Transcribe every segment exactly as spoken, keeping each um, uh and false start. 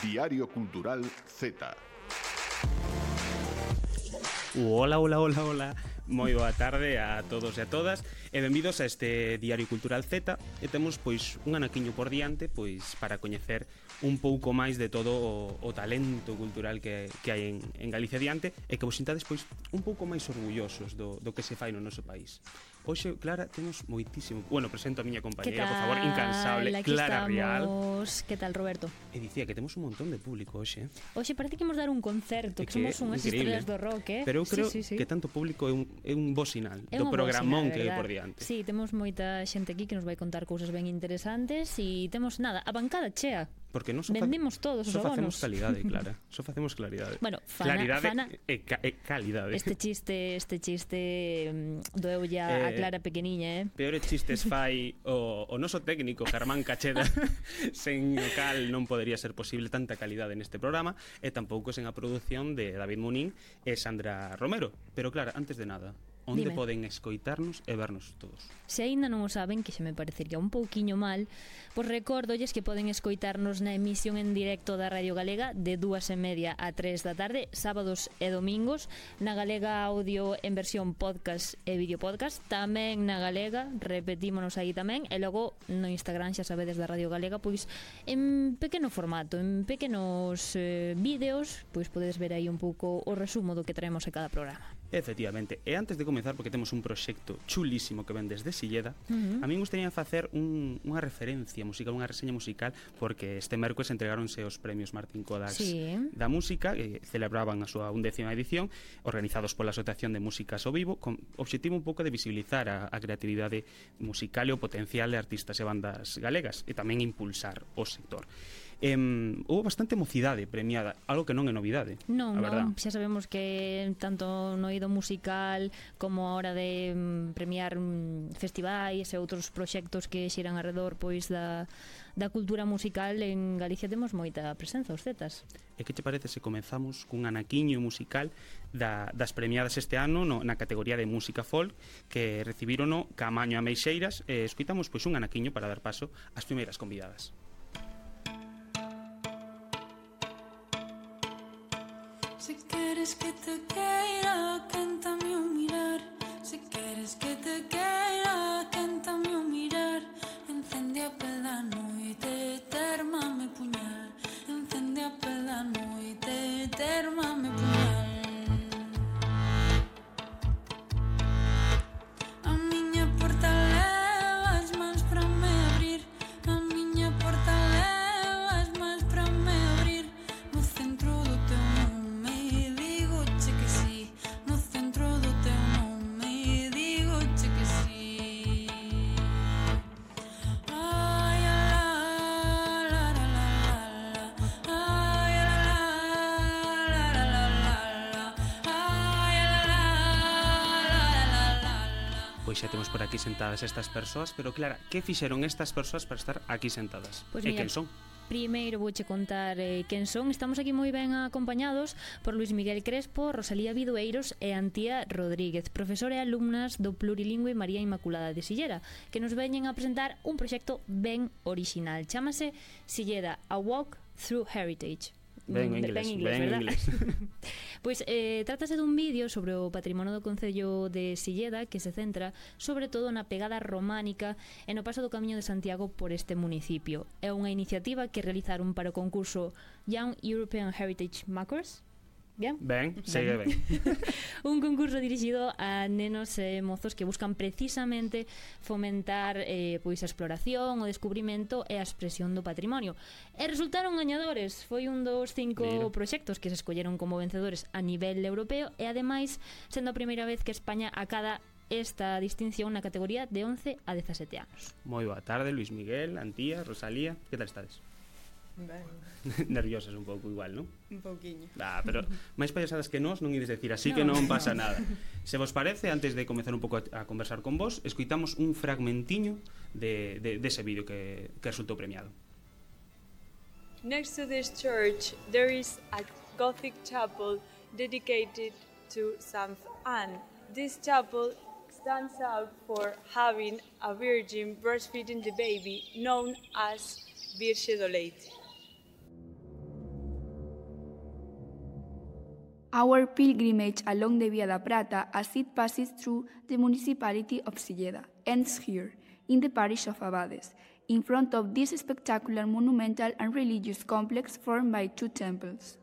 Diario Cultural Z. Hola, hola, hola, hola. Moi boa tarde a todos e a todas e benvidos a este Diario Cultural Z. E temos pois un anaquiño por diante pois para coñecer un pouco máis de todo o, o talento cultural que, que hai en, en Galicia diante e que vos sintades pois un pouco máis orgullosos do, do que se fai no noso país. Hoxe, Clara, temos moitísimo... Bueno, presento a miña compañera, por favor, incansable, Aquí Clara Rial. Que tal, Roberto? E dicía que temos un montón de público hoxe. Hoxe parece que imos dar un concerto, que, que somos unhas estrellas do rock, eh? Pero eu creo sí, sí, sí. que tanto público é un, é un bo sinal é do programón sinal, que hai por diante. Sí, temos moita xente aquí que nos vai contar cousas ben interesantes e temos, nada, a bancada chea. Porque non so vendemos todos os so abonos. facemos calidade, Clara. Só facemos claridade. Bueno, fana, claridade fana, e, ca, e calidade. Este chiste, este chiste um, doeu ya eh, a Clara pequeniña, eh? Peores chistes fai o, o noso técnico Germán Cacheda, sen o cal non podería ser posible tanta calidade neste programa, e tampouco sen a produción de David Munín e Sandra Romero. Pero Clara, antes de nada, onde Dime. Poden escoitarnos e vernos todos? Se aínda non o saben, que xa me parecería un pouquiño mal, pois recórdolles que poden escoitarnos na emisión en directo da Radio Galega de dúas e media a tres da tarde, sábados e domingos, na Galega Audio en versión podcast e videopodcast, tamén na Galega, repetímonos aí tamén, e logo no Instagram, xa sabedes, da Radio Galega, pois en pequeno formato, en pequenos eh, vídeos, pois podedes ver aí un pouco o resumo do que traemos a cada programa. Efectivamente, e antes de comezar, porque temos un proxecto chulísimo que ven desde Silleda, uh-huh. a mí me gustaría facer un, unha referencia musical, unha reseña musical, porque este mércoles entregáronse os premios Martín Codax sí. da música, que celebraban a súa undécima edición, organizados pola Asociación de Músicas ao Vivo, con objetivo un pouco de visibilizar a, a creatividade musical e o potencial de artistas e bandas galegas, e tamén impulsar o sector. Eh, houve bastante mocidade premiada, algo que non é novidade. Non, non, xa sabemos que tanto no eido musical como a hora de mm, premiar mm, festivais e outros proxectos que xiran alrededor pois da, da cultura musical en Galicia temos moita presenza, os Zetas. E que te parece se comenzamos cun anaquiño musical da, das premiadas este ano no, na categoría de música folk, que recibirono Camaño a Meixeiras, e escoitamos pois un anaquiño para dar paso ás primeiras convidadas. Si quieres que te quiera, cántame un mirar. Si quieres que te quiera, cántame un mirar. Encende a pela noite, térmame puñal. Encende a pela noite, térmame puñal. A miña porta leva as mans para me abrir. A miña porta leva as mans para me abrir. No centro do teu nome digo che que sí. No centro do teu nome digo che que sí. Ai, la, la, la, la, la. Ai, la, la, la, la, la, la. Ai, la, la, la, la, la. Pois xa temos por aquí sentadas estas persoas, pero Clara, que fixeron estas persoas para estar aquí sentadas? Pois e mira, quen son? Primeiro vouche contar eh, quen son. Estamos aquí moi ben acompañados por Luis Miguel Crespo, Rosalía Vidueiros e Antía Rodríguez, profesora e alumnas do Plurilingüe María Inmaculada de Silleda, que nos veñen a presentar un proxecto ben orixinal. Chámase Silleda, A Walk Through Heritage. Ben inglés, ben inglés, ben verdad? inglés. Pois eh, trátase dun vídeo sobre o patrimonio do Concello de Silleda que se centra sobre todo na pegada románica e no paso do Camiño de Santiago por este municipio. É unha iniciativa que realizaron para o concurso Young European Heritage Makers. Bien? Ben, segue ben. Un concurso dirixido a nenos e mozos que buscan precisamente fomentar eh, pois a exploración, o descubrimento e a expresión do patrimonio. E resultaron gañadores. Foi un dos cinco Mira. proxectos que se escolleron como vencedores a nivel europeo e ademais sendo a primeira vez que España acada esta distinción na categoría de once a dezasete anos. Moi boa tarde, Luis Miguel, Antía, Rosalía, que tal estades? Ben, Nerviosas un pouco igual, non? un pouquiño. Ah, pero máis payasadas que nós non ides decir, así No. que non pasa nada. Se vos parece, antes de comezar un pouco a, a conversar con vos, escoitamos un fragmentiño de, de, de ese vídeo que, que resultou premiado. Next to this church, there is a Gothic chapel dedicated to Saint Anne. This chapel stands out for having a virgin breastfeeding the baby, known as Virxe do Leite. our pilgrimage along the Via da Prata as it passes through the municipality of Silleda ends here, in the parish of Abades, in front of this spectacular monumental and religious complex formed by two temples.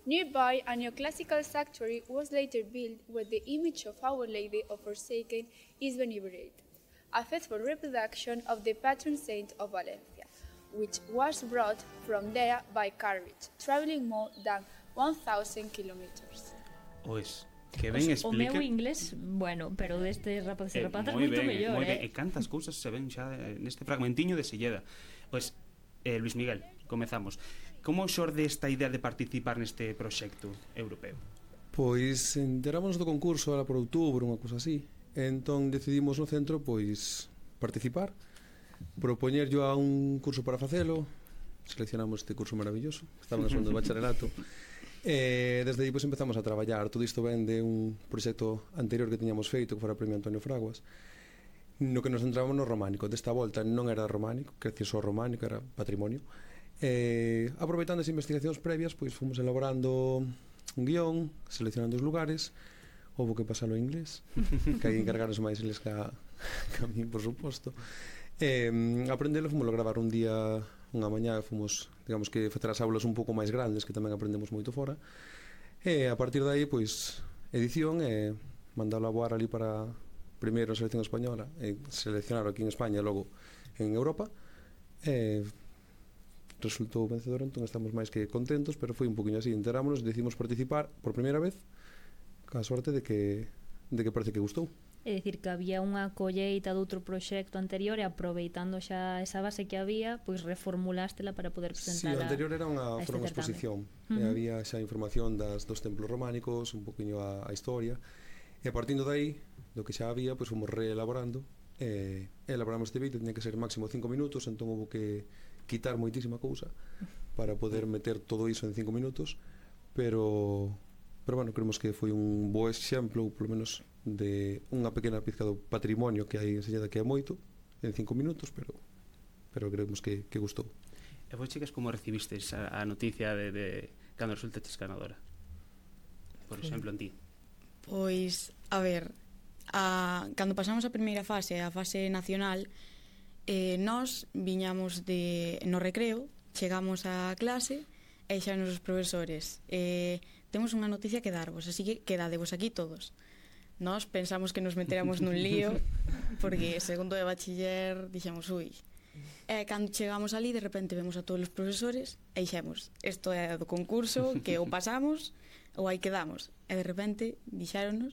Nearby, a neoclassical sanctuary was later built where the image of Our Lady of Forsaken is venerated, a faithful reproduction of the patron saint of Valencia, which was brought from there by carriage, traveling more than one thousand kilometers. Pois, que ben Pues, explica... o meu inglés, bueno, pero deste rapaz e Eh, rapazas moi moito ben, mellor, moi eh? ben. E cantas cousas se ven xa eh, neste fragmentiño de Silleda. Pois, eh, Luis Miguel, comezamos. Como xorde esta idea de participar neste proxecto europeo? Pois enterámonos do concurso era por outubro, unha cousa así. Entón decidimos no centro pois participar, propoñer yo a un curso para facelo. Seleccionamos este curso maravilloso, estaba en segundo de bacharelato. E desde aí pois empezamos a traballar. Todo isto ven de un proxecto anterior que tiñamos feito, que fora o Premio Antonio Fraguas, no que nos centrábamos no románico. Desta volta non era románico, creció só románico, era patrimonio. E aproveitando as investigacións previas, pois fomos elaborando un guión, seleccionando os lugares. Houbo que pasalo en inglés, que hai encargarnos máis eles que a, que a mí, por suposto. E aprendelo, fomos a gravar un día, unha mañá, fomos, digamos que facer as aulas un pouco máis grandes, que tamén aprendemos moito fora. E a partir de aí, pois, edición e mandalo a voar ali para primeiro a selección española, e seleccionar aquí en España e logo en Europa. E resultou vencedor, entón estamos máis que contentos, pero foi un poquinho así, enterámonos, decidimos participar por primeira vez, ca sorte de que de que parece que gustou. É dicir, que había unha colleita de outro proxecto anterior e aproveitando xa esa base que había, pois reformulástela para poder Sí, presentar o anterior era unha, a este fora unha certame. exposición. Uh-huh. E había xa información das dos templos románicos, un poquinho a, a historia, e a partindo de aí, do que xa había, pois fomos reelaborando, e elaboramos este vídeo, tiña que ser máximo cinco minutos, entón houve que quitar moitísima cousa para poder meter todo iso en cinco minutos, pero pero bueno, creemos que foi un bo exemplo, polo menos de unha pequena pizca do patrimonio que hai en Silleda, que é moito en cinco minutos, pero pero creemos que, que gustou. E vos, chicas, como recibisteis a, a noticia de, de cando resultaches ganadora? Por exemplo, en ti. Pois, a ver, a, cando pasamos a primeira fase, a fase nacional, eh, nós viñamos de, no recreo, chegamos á clase e xa nos profesores eh, temos unha noticia que darvos, así que quedadevos aquí todos. Nós pensamos que nos meteramos nun lío porque segundo de bachiller dixemos ui, e cando chegamos ali de repente vemos a todos os profesores e dixemos, isto é do concurso, que ou pasamos ou aí quedamos, e de repente dixéronos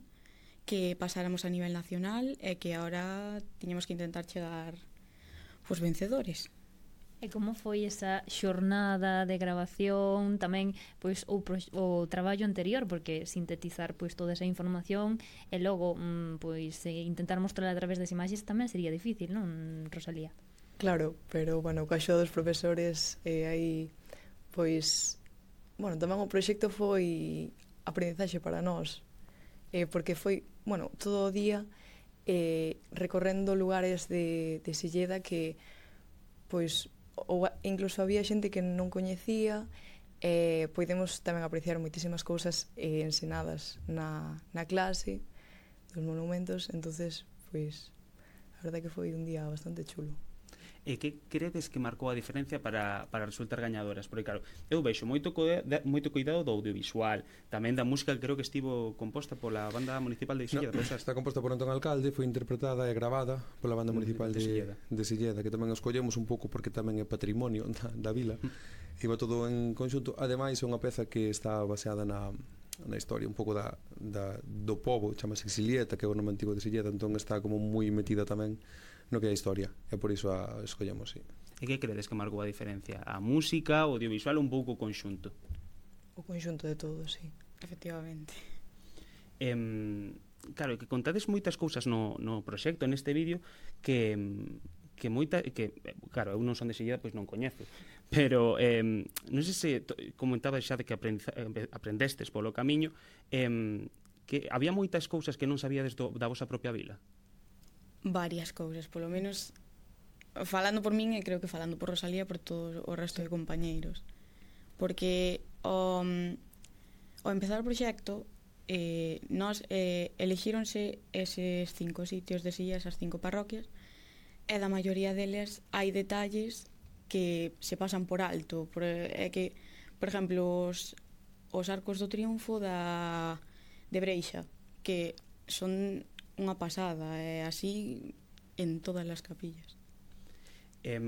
que pasáramos a nivel nacional e que agora tiñamos que intentar chegar os vencedores. E como foi esa xornada de grabación, tamén pois o, o traballo anterior, porque sintetizar pois toda esa información e logo mm, pois intentar mostrarla a través das imaxes tamén sería difícil, non, Rosalía? Claro, pero bueno, o caixo dos profesores e eh, aí pois bueno, tamén o proxecto foi aprendizaxe para nós, eh, porque foi, bueno, todo o día eh, recorrendo lugares de, de Silleda que pois ou incluso había xente que non coñecía e eh, podemos tamén apreciar moitísimas cousas eh, ensenadas na, na clase dos monumentos, entonces pois a verdade que foi un día bastante chulo. E que credes que marcou a diferencia para, para resultar gañadoras? Porque claro, eu vexo moito, co, moito cuidado do audiovisual, tamén da música que creo que estivo composta pola banda municipal de Silleda. No, está composta por Antón Alcalde, foi interpretada e gravada pola banda municipal de, de, Silleda. de Silleda, que tamén escollemos un pouco porque tamén é patrimonio da, da vila. Iba todo en conxunto. Ademais, é unha peza que está baseada na, na historia un pouco da, da, do pobo, chamase Xilieta, que é o nome antigo de Silleda, entón está como moi metida tamén no que é a historia, e por iso a escollemos, sí. E que credes que marcou a diferencia? A música, o audiovisual, un pouco o conxunto? O conxunto de todo, sí. Efectivamente. Eh, claro, que contades moitas cousas no, no proxecto, neste vídeo, que, que moita, que, claro, eu non son de Silleda, pois non coñezo, pero eh, non sei se comentabas xa de que aprendestes polo camiño, eh, que había moitas cousas que non sabíades do, da vosa propia vila. Varias cousas, polo menos falando por min e creo que falando por Rosalía, por todo o resto de compañeiros, porque o, ao empezar o proxecto, eh, nos eh, elixíronse eses cinco sitios de silla, esas cinco parroquias, e da maioría deles hai detalles que se pasan por alto. Por, é que, por exemplo, os, os arcos do triunfo da, de Breixa, que son unha pasada, e así en todas as capillas. Eh,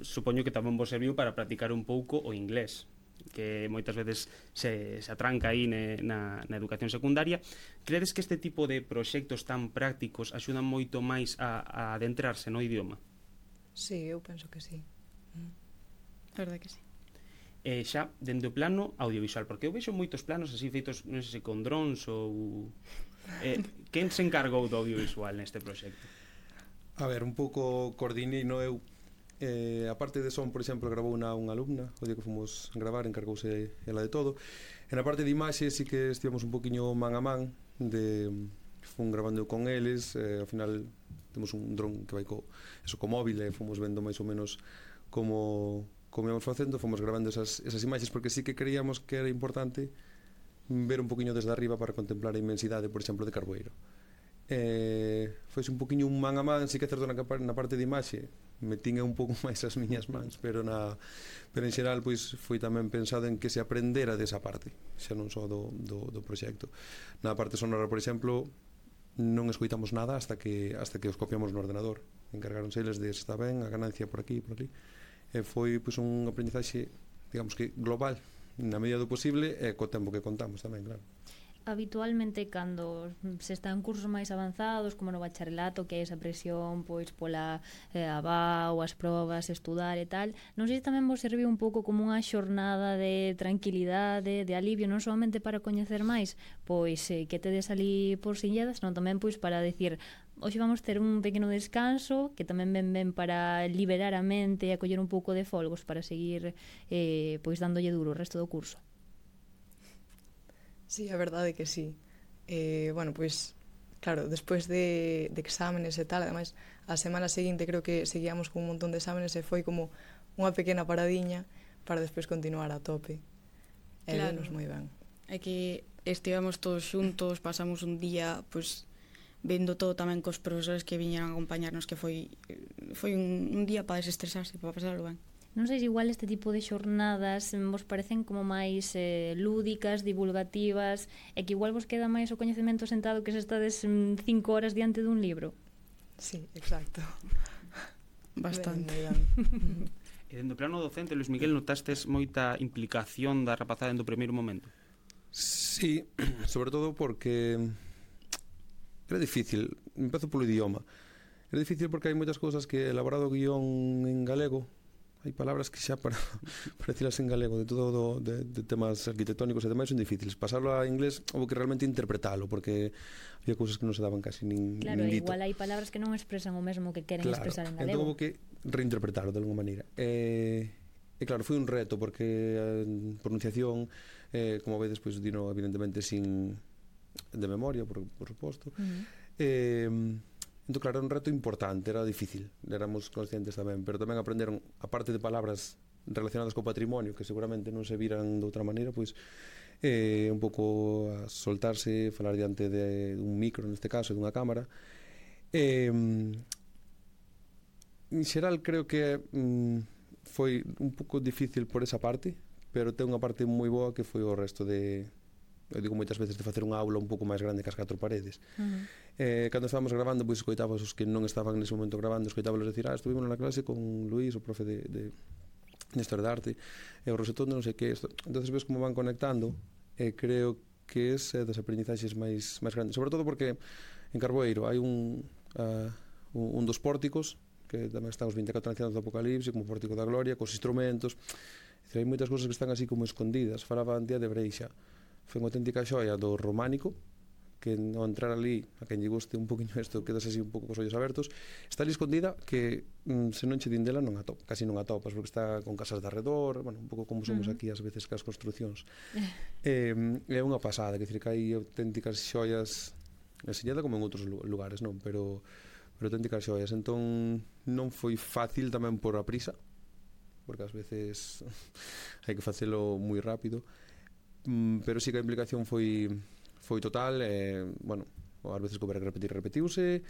supoño que tamén vos serviu para practicar un pouco o inglés, que moitas veces se, se atranca aí ne, na, na educación secundaria. Credes que este tipo de proxectos tan prácticos axudan moito máis a, a adentrarse no idioma? Sí, eu penso que sí. A verdade que sí. E xa, dende o plano audiovisual, porque eu vexo moitos planos así feitos, non sei se con drons ou... Eh, quen se encargou do audiovisual neste proxecto? A ver, un pouco coordinei, no eu. Eh, a parte de son, por exemplo, gravou unha, unha alumna o día que fomos gravar, encargouse ela de todo. En a parte de imaxe sí que estivemos un poquinho man a man, de fun gravando con eles, eh, ao final temos un dron que vai co, eso, co móvil, e fomos vendo máis ou menos como, como íamos facendo, fomos gravando esas, esas imaxes, porque sí que creíamos que era importante ver un poquinho desde arriba para contemplar a inmensidade, por exemplo, de Carboeiro. Eh, foi un poquinho un man a man, sí que é certo na, na parte de imaxe metín un pouco máis as miñas mans, pero na pero en xeral pois foi tamén pensado en que se aprendera desa parte, xa non só do, do, do proxecto. Na parte sonora, por exemplo, non escoitamos nada hasta que hasta que os copiamos no ordenador. Encargáronse eles de se está ben, a ganancia por aquí, por ali. E foi pois un aprendizaxe, digamos que global, na medida do posible, e co tempo que contamos tamén, claro. Habitualmente, cando se está en cursos máis avanzados, como no bacharelato, que hai esa presión pois pola eh, aba ou as probas, estudar e tal, non sei se tamén vos serviu un pouco como unha xornada de tranquilidade, de alivio, non solamente para coñecer máis pois eh, que tedes ali por Silledas, non tamén pois para decir, hoxe vamos ter un pequeno descanso, que tamén ven ben para liberar a mente e acoller un pouco de folgos para seguir eh, pois dándolle duro o resto do curso. Sí, a verdade que sí. Eh, bueno, pois, claro, despois de, de exámenes e tal, ademais, a semana seguinte creo que seguíamos con un montón de exámenes e foi como unha pequena paradiña para despois continuar a tope. E claro, venos moi ben. É que estivemos todos xuntos, pasamos un día, pois, vendo todo tamén cos profesores que viñeron a acompañarnos, que foi foi un, un día para desestresarse, para pasarlo ben. Non sei se igual este tipo de xornadas vos parecen como máis eh, lúdicas, divulgativas, e que igual vos queda máis o coñecemento sentado que se estades mm, cinco horas diante dun libro. Sí, exacto. Bastante. Ben, ben. E dentro do plano docente, Luis Miguel, notastes moita implicación da rapazada do primeiro momento? Sí, sobre todo porque era difícil, empezo polo idioma. Era difícil porque hai moitas cousas que elaborado o guión en galego, hai palabras que xa para, para decirlas en galego de todo do, de, de temas arquitectónicos e demais son difíciles. Pasarlo a inglés houve que realmente interpretalo, porque había cousas que non se daban casi nin, claro, nin dito. Igual hai palabras que non expresan o mesmo que queren claro, expresar en entón galego. houve que reinterpretarlo de alguma maneira. E, e claro, foi un reto porque a pronunciación, eh, como vedes, pois, dino evidentemente sin de memoria, por, por suposto. Uh-huh. Eh, Entón, claro, era un reto importante, era difícil, éramos conscientes tamén, pero tamén aprenderon, a parte de palabras relacionadas co patrimonio, que seguramente non se viran de outra maneira, pois eh, un pouco a soltarse, falar diante de un micro, neste caso, dunha cámara. Eh, en xeral, creo que mm, foi un pouco difícil por esa parte, pero ten unha parte moi boa que foi o resto de... Eu digo moitas veces de facer unha aula un pouco máis grande que as catro paredes. Uh-huh. eh, cando estábamos gravando, pois escoitabas os que non estaban nese momento gravando, escoitabas decir, ah, estuvimos na clase con Luís, o profe de, de, de Historia de Arte, e o Rosetón de non sei que. Entonces ves como van conectando, e creo que ese é das aprendizaxes máis, máis grandes. Sobre todo porque en Carboeiro hai un, uh, un, un dos pórticos, que tamén están os vinte e catro ancianos do Apocalipse, como o Pórtico da Gloria, cos instrumentos. Decir, hai moitas cousas que están así como escondidas. Falaba Antía de Breixa. Foi unha auténtica xoia do románico, que ao entrar ali, a quen lle guste un poquinho isto, quedas así un pouco cos ollos abertos, está ali escondida que mm, se non che din dela non atop, casi non atopas, porque está con casas de arredor, bueno, un pouco como somos uh-huh. aquí ás veces cas construcións. eh, é unha pasada, que dicir que hai auténticas xoias en Silleda como en outros lugares, non, pero pero auténticas xoias. Entón non foi fácil tamén por a prisa, porque ás veces hai que facelo moi rápido. mm, pero sí que a implicación foi foi total, eh, bueno, ás veces que houve que repetir, repetiuse,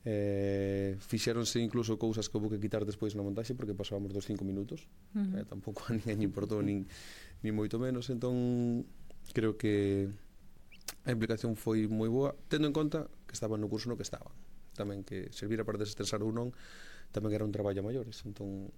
eh, fixéronse incluso cousas que houve que quitar despois na montaxe porque pasábamos dos cinco minutos, uh-huh. eh, tampouco a ninguén importou nin, nin moito menos, entón creo que a implicación foi moi boa, tendo en conta que estaban no curso no que estaban, tamén que servira para desestresar ou non, tamén era un traballo a maiores, entón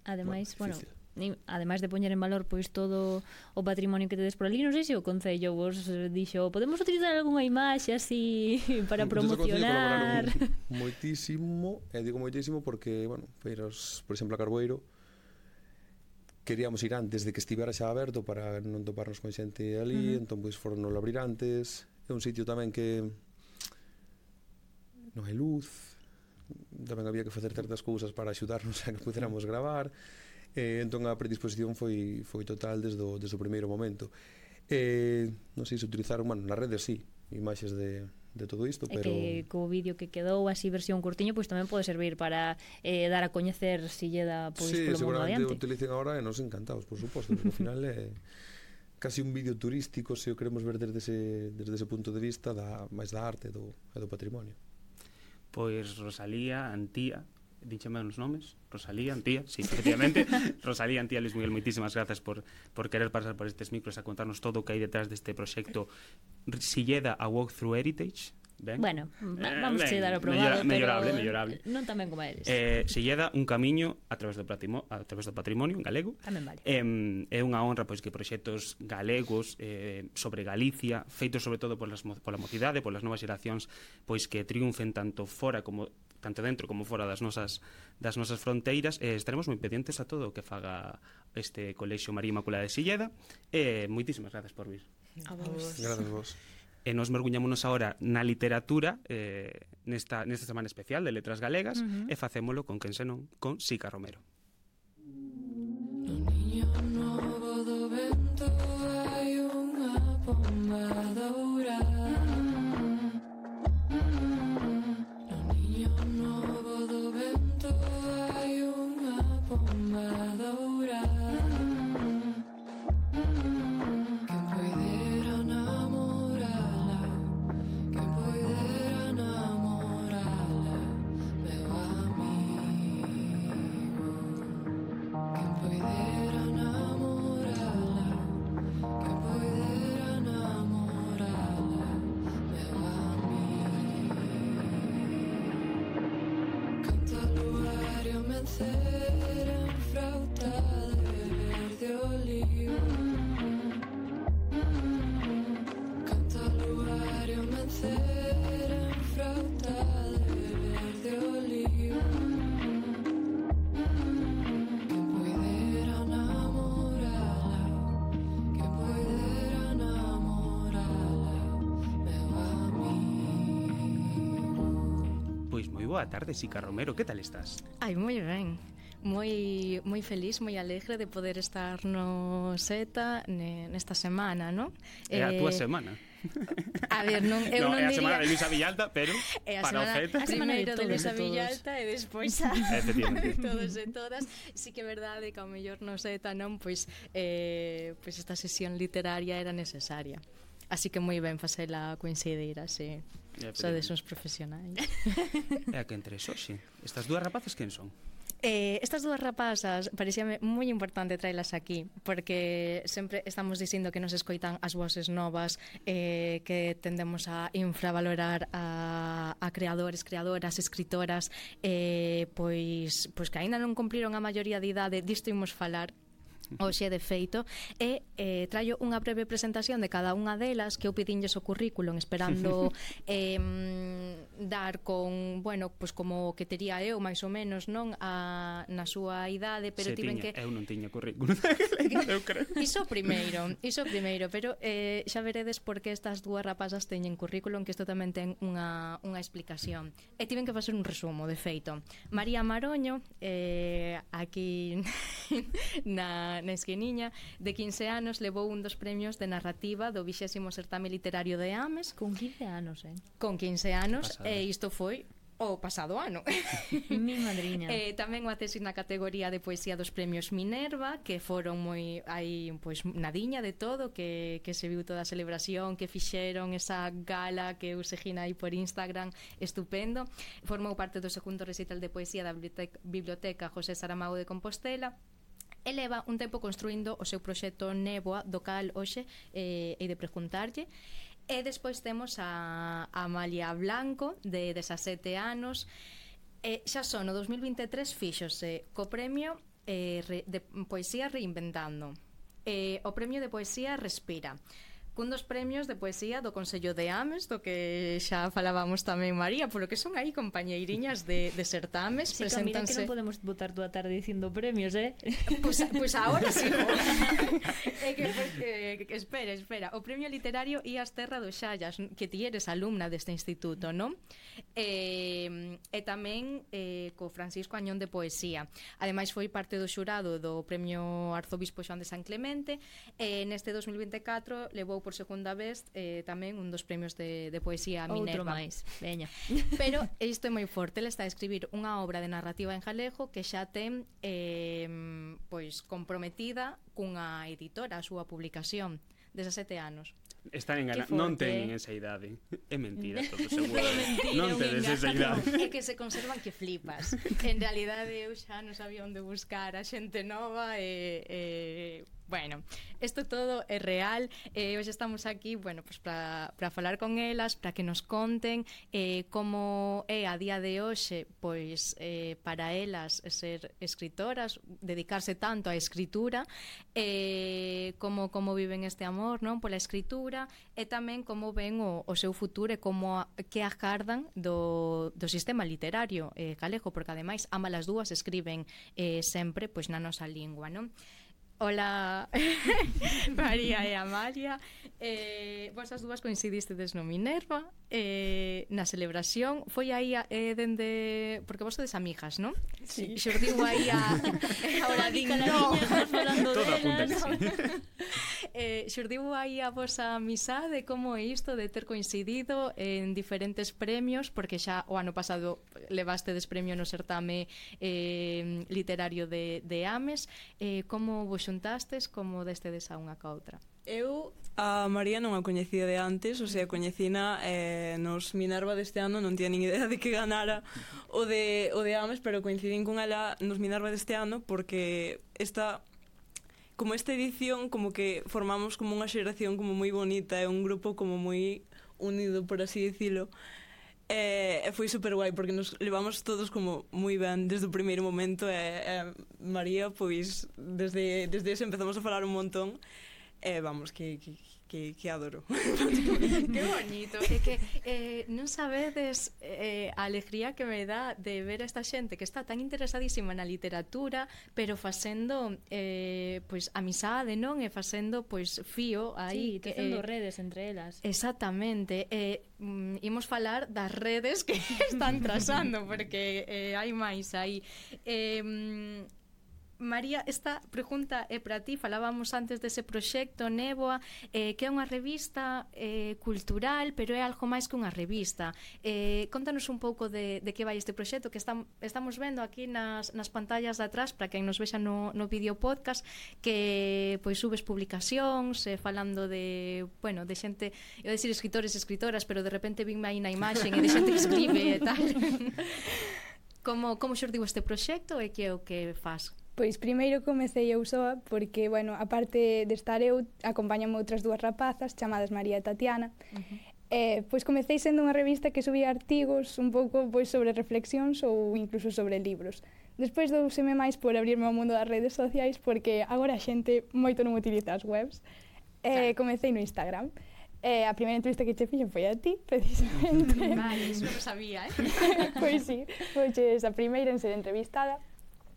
ademais, bueno, bueno ademais de poñer en valor pois todo o patrimonio que tedes por ali, non sei se o Concello vos dixo, podemos utilizar algunha imaxe así para promocionar. Moitísimo, e digo moitísimo porque, bueno, feiras, por exemplo, a Carboeiro, queríamos ir antes de que estivera xa aberto para non toparnos con xente ali, uh-huh. entón pois foron no abrir antes, é un sitio tamén que non hai luz, tamén había que facer certas cousas para axudarnos a que puderamos gravar. Eh, entón a predisposición foi, foi total desde o, desde o primeiro momento. Eh, non sei se utilizaron, bueno, nas redes sí, imaxes de, de todo isto, pero... E que co vídeo que quedou así versión curtiño, pois tamén pode servir para eh, dar a coñecer Silleda pois, sí, polo mundo adiante. Sí, seguramente utilicen agora e nos encantados, por suposto, porque ao final é casi un vídeo turístico, se o queremos ver desde ese, desde ese punto de vista da, máis da arte do, e do patrimonio. Pois Rosalía, Antía, díxeme os nomes, Rosalía, Antía, sí, efectivamente, Rosalía, Antía, Luis Miguel, moitísimas grazas por, por querer pasar por estes micros a contarnos todo o que hai detrás deste proxecto Silleda a Walk Through Heritage. Ben? Bueno, vamos eh, a dar o probado, mellorable, pero mellorable. Non tamén como eles. Eh, Silleda, un camiño a través do patrimonio, a través do patrimonio en galego. Tamén vale. Eh, é unha honra pois que proxectos galegos eh, sobre Galicia, feitos sobre todo polas, pola mocidade, polas novas xeracións, pois que triunfen tanto fora como tanto dentro como fora das nosas das nosas fronteiras, eh, estaremos moi pendientes a todo o que faga este Colexio María Inmaculada de Silleda. Eh, moitísimas grazas por vir. A vos. Grazas vos. E nos merguñámonos agora na literatura eh, nesta, nesta semana especial de Letras Galegas, uh-huh. e facémolo con quen senón, con Sica Romero. No niño novo do vento hai unha pomba dourada. No niño novo do vento hai unha pomba dourada. Boa tarde, Sica Romero, que tal estás? Ai, moi ben. Moi moi feliz, moi alegre de poder estar no SETA ne, nesta semana, non? É a túa semana. A ver, non, eu no, non é a diría... semana de Luisa Villalta, pero é a para semana, o SETA... Primeiro de, de Luisa todos. Villalta e despois a de todos e todas. Sí que é verdade que ao mellor no SETA non, pois, eh, pois esta sesión literaria era necesaria. Así que moi ben facela coincidir, así... Sodes uns profesionais. É a que entre xoxe. Estas dúas rapazas quen son? Eh, estas dúas rapazas parecíame moi importante traelas aquí porque sempre estamos dicindo que nos escoitan as voces novas, eh, que tendemos a infravalorar a, a creadores, creadoras, escritoras, eh, pois, pois que aínda non cumpriron a maioría de idade. Disto imos falar hoxe de feito, e eh, traio unha breve presentación de cada unha delas, que eu pedinlles o currículum esperando eh, dar con, bueno, pues como que tería eu máis ou menos, non, a, na súa idade, pero Se tiven tiña, que eu non tiña currículum. Eu creo. Iso primeiro, iso primeiro, pero eh, xa veredes por que estas dúas rapazas teñen currículum, que isto tamén ten unha, unha explicación. E tiven que facer un resumo, de feito. María Maroño, eh, aquí na na esquiniña, de quince anos, levou un dos premios de narrativa do vixésimo certame literario de Ames. Con quince anos, eh? Con quince anos, e isto foi o pasado ano. Mi madriña. Eh, tamén o acceso na categoría de poesía dos premios Minerva, que foron moi aí pois nadiña de todo, que, que se viu toda a celebración, que fixeron esa gala que eu seguina aí por Instagram, estupendo. Formou parte do segundo recital de poesía da Biblioteca, Biblioteca José Saramago de Compostela. E leva un tempo construindo o seu proxecto Néboa, do cal hoxe eh, hei de preguntarlle. E despois temos a Amalia Blanco, de dezasete anos. E xa son, no dos mil vinte e tres fíxose co premio eh, de Poesía Reinventando. E o premio de Poesía Respira, cun dos premios de poesía do Consello de Ames, do que xa falábamos tamén, María, polo que son aí compañeiriñas de, de certames. Sí, Camila, que non podemos botar toda a tarde dicindo premios, eh? Pois pues, pues ahora sí. É que, eh, que, espera, espera. O premio literario Ias Terra do Xallas, que ti eres alumna deste instituto, non? E, e tamén eh, co Francisco Añón de Poesía. Ademais foi parte do xurado do premio Arzobispo Xoán de San Clemente, e neste dos mil vinte e catro levou por segunda vez eh, tamén un dos premios de, de poesía Minerva. Outro máis, veña. Pero isto é moi forte, ele está a escribir unha obra de narrativa en galego que xa ten eh, pois comprometida cunha editora a súa publicación, dezasete anos. Están enganados, non teñen esa idade. É mentira, todo seguro. Mentira, non tedes esa idade. É que se conservan que flipas. En realidade eu xa non sabía onde buscar a xente nova e... e bueno, isto todo é real. E hoxe estamos aquí, bueno, pues para para falar con elas, para que nos conten eh, como é a día de hoxe, pois eh, para elas ser escritoras, dedicarse tanto á escritura, eh, como como viven este amor, non, pola escritura, e tamén como ven o, o seu futuro e como a, que agardan do, do sistema literario eh, galego, porque ademais ambas as dúas escriben eh, sempre pois na nosa lingua, non? Hola, María e Amalia. eh, Vos as dúas coincidistedes no Minerva, eh, na celebración. Foi aí a, eh, dende... Porque vos sodes amigas, non? Sí. Xurdiu aí a... Ahora din no. Todo apunta que sí. eh, Xurdiu aí a vosa amizade, como é isto de ter coincidido en diferentes premios, porque xa o ano pasado levastedes premio no certame eh, literario de, de Ames. eh, Como vos xuntastes, como destedes a unha ca outra? Eu a María non a coñecía de antes, o sea, coñecina eh, nos Minerva deste ano, non tiña nin idea de que ganara o de, o de Ames, pero coincidín con ela nos Minerva deste ano porque esta, como esta edición, como que formamos como unha xeración como moi bonita, é un grupo como moi unido, por así dicilo. E, e foi super guai porque nos levamos todos como moi ben desde o primeiro momento, e, e María pois desde, desde ese empezamos a falar un montón, e vamos, que, que, que, que adoro. Que bonito. É que eh, non sabedes eh, a alegría que me dá de ver a esta xente que está tan interesadísima na literatura, pero facendo eh, pois amizade, non? E facendo pois fío aí, sí, tecendo eh, redes entre elas. Exactamente. E eh, mm, imos falar das redes que están trazando, porque eh, hai máis aí. Eh, María, esta pregunta é para ti. Falábamos antes dese proxecto Néboa, eh, que é unha revista eh, cultural, pero é algo máis que unha revista. Eh, contanos un pouco de, de que vai este proxecto que estam, estamos vendo aquí nas, nas pantallas de atrás, para quen nos vexa no, no vídeo podcast, que pois subes publicacións eh, falando de, bueno, de xente, eu decir escritores e escritoras, pero de repente vinme aí na imaxe e de xente que escribe e tal. Como, como xurdiu este proxecto e que é o que faz? Pois primeiro comecei eu soa porque, bueno, aparte de estar eu, acompañame outras dúas rapazas chamadas María e Tatiana. Uh-huh. eh, pois comecei sendo unha revista que subía artigos un pouco pois sobre reflexións ou incluso sobre libros. Despois douseme máis por abrirme ao mundo das redes sociais porque agora a xente moito non utiliza as webs. Eh, claro. Comecei no Instagram. Eh, a primeira entrevista que che fixo foi a ti, precisamente. Vale, eso non sabía, eh? Pois sí, foi a primeira en ser entrevistada.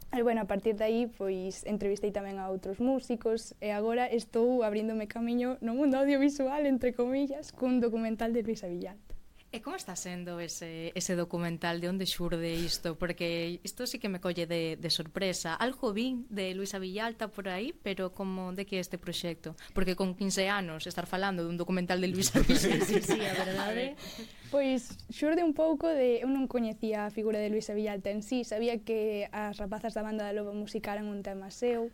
E, bueno, a partir de aí, pois, entrevistei tamén a outros músicos e agora estou abríndome camiño no mundo audiovisual, entre comillas, cun documental de Luisa Villalta. E como está sendo ese, ese documental? De onde xurde isto? Porque isto sí que me colle de, de sorpresa. Algo vin de Luisa Villalta por aí, pero como de que é este proxecto? Porque con quince anos estar falando dun documental de Luisa Villalta. Sí, sí, a verdade. Pois xurde un pouco de... Eu non coñecía a figura de Luisa Villalta en sí, sabía que as rapazas da banda da Loba musicaran un tema seu,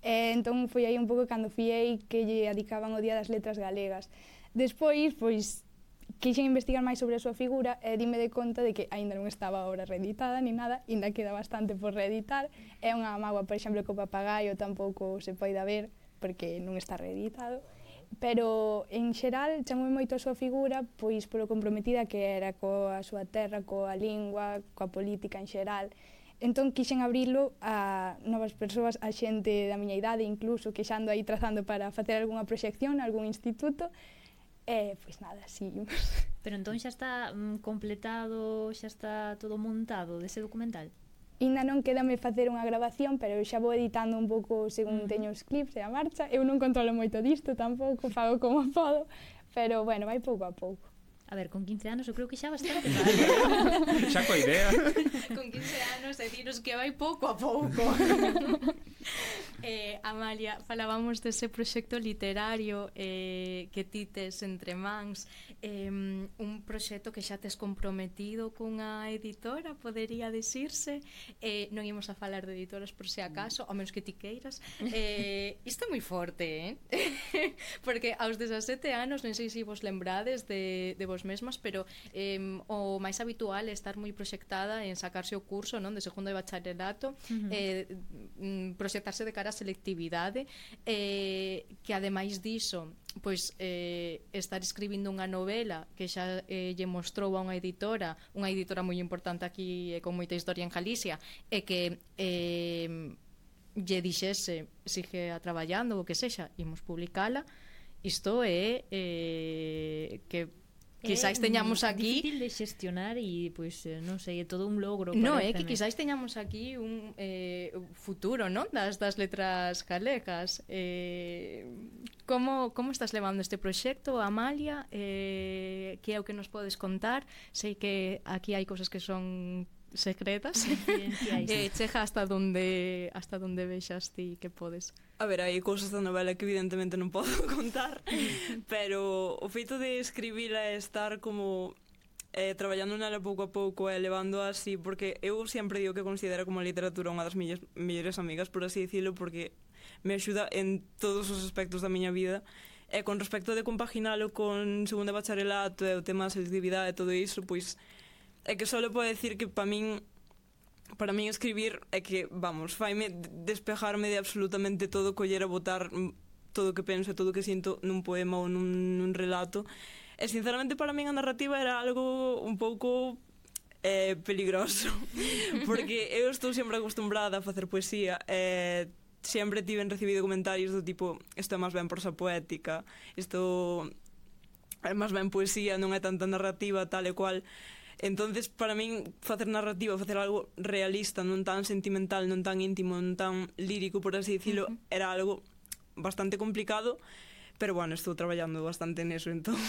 e entón foi aí un pouco cando fiei que lle adicaban o Día das Letras Galegas. Despois, pois, quixen investigar máis sobre a súa figura e dime de conta de que aínda non estaba ahora reeditada ni nada, aínda queda bastante por reeditar. É unha mágoa, por exemplo, que o Papagaio tampouco se poida ver porque non está reeditado, pero en xeral chamoume moito a súa figura pois polo comprometida que era coa súa terra, coa lingua, coa política en xeral. Entón quixen abrilo a novas persoas, a xente da miña idade incluso, que xa ando aí trazando para facer algunha proxección, algún instituto. E, pois nada, seguimos. Pero entón xa está mm, completado, xa está todo montado dese documental? Ainda non quédame facer unha grabación, pero eu xa vou editando un pouco según uh-huh. teño os clips e a marcha. Eu non controlo moito disto tampouco, fago como podo, pero bueno, vai pouco a pouco. A ver, con quince anos eu creo que xa bastante vale. Xa coa idea. Con quince anos deciros que vai pouco a pouco. eh, Amalia, falábamos dese proxecto literario eh, que ti tes entre mans, eh, un proxecto que xa tes comprometido cunha editora, podería dicirse. Eh, non imos a falar de editoras por se acaso, ao menos que ti queiras. Eh, isto é moi forte, eh? Porque aos dezasete anos, non sei se vos lembrades de, de vos mesmas, pero eh, o máis habitual é estar moi proxectada en sacarse o curso, non, de segundo de bacharelato, uh-huh. eh, proxectarse de cara a selectividade, eh, que ademais diso, pois eh, estar escribindo unha novela que xa eh, lle mostrou a unha editora, unha editora moi importante aquí e con moita historia en Galicia, e que eh, lle dixese sigue a traballando o que sexa, imos publicala. Isto é eh, que quizáis teñamos aquí... É difícil de xestionar e, pois, non sei, é todo un logro. Non, é que quizáis teñamos aquí un eh, futuro, non? Das, das letras galegas. Eh, como, como estás levando este proxecto, Amalia? Eh, que é o que nos podes contar? Sei que aquí hai cosas que son secretas. eh, cheja hasta donde hasta donde vexas ti que podes. A ver, hai cousas da novela que evidentemente non podo contar, pero o feito de escribila e estar como eh, traballando nela pouco a pouco e levando así, porque eu sempre digo que considero como a literatura unha das miñas mellores amigas, por así dicilo, porque me axuda en todos os aspectos da miña vida. E con respecto de compaginalo con segundo bacharelato e o tema da selectividade e todo iso, pois é que só podo decir que para min para min escribir é que, vamos, faime despejarme de absolutamente todo, coller a botar todo o que penso e todo o que sinto nun poema ou nun, nun relato. E sinceramente para min a narrativa era algo un pouco eh, peligroso, porque eu estou sempre acostumbrada a facer poesía e sempre tiven recibido comentarios do tipo, isto é máis ben prosa poética, isto é máis ben poesía, non é tanta narrativa, tal e cual. Entonces, para min, facer narrativa, facer algo realista, non tan sentimental, non tan íntimo, non tan lírico, por así dicilo, uh-huh. era algo bastante complicado, pero bueno, estou traballando bastante neso, entón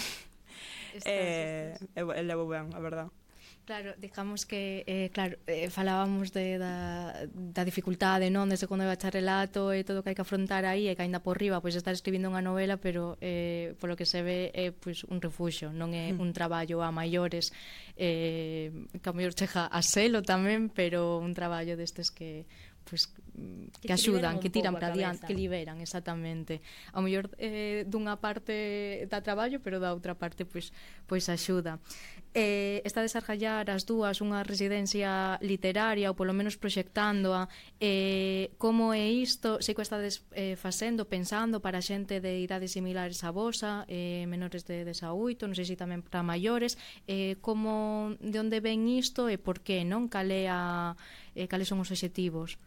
estás, eh, estás. e levo ben, a verdad. Claro, digamos que eh, claro, eh, falábamos de, da, da dificultade, non, de segundo de bacharelato e todo o que hai que afrontar aí e que ainda por riba pois estar escribindo unha novela, pero eh, polo que se ve é pois un refuxo, non é un traballo a maiores, eh, que a mellor chega a selo tamén, pero un traballo destes que pois que, que axudan, que tiran para adiante, que liberan, exactamente. A mellor eh, dunha parte dá traballo, pero da outra parte pois pois axuda. Eh, está a desarrollar as dúas unha residencia literaria ou polo menos proxectándoa. Eh, como é isto? Sei que estades eh, facendo, pensando para xente de idades similares a vosa, eh, menores de dezaoito, non sei se tamén para maiores. Eh, como, de onde ven isto e por que, non? Cale a, eh, cales son os obxectivos?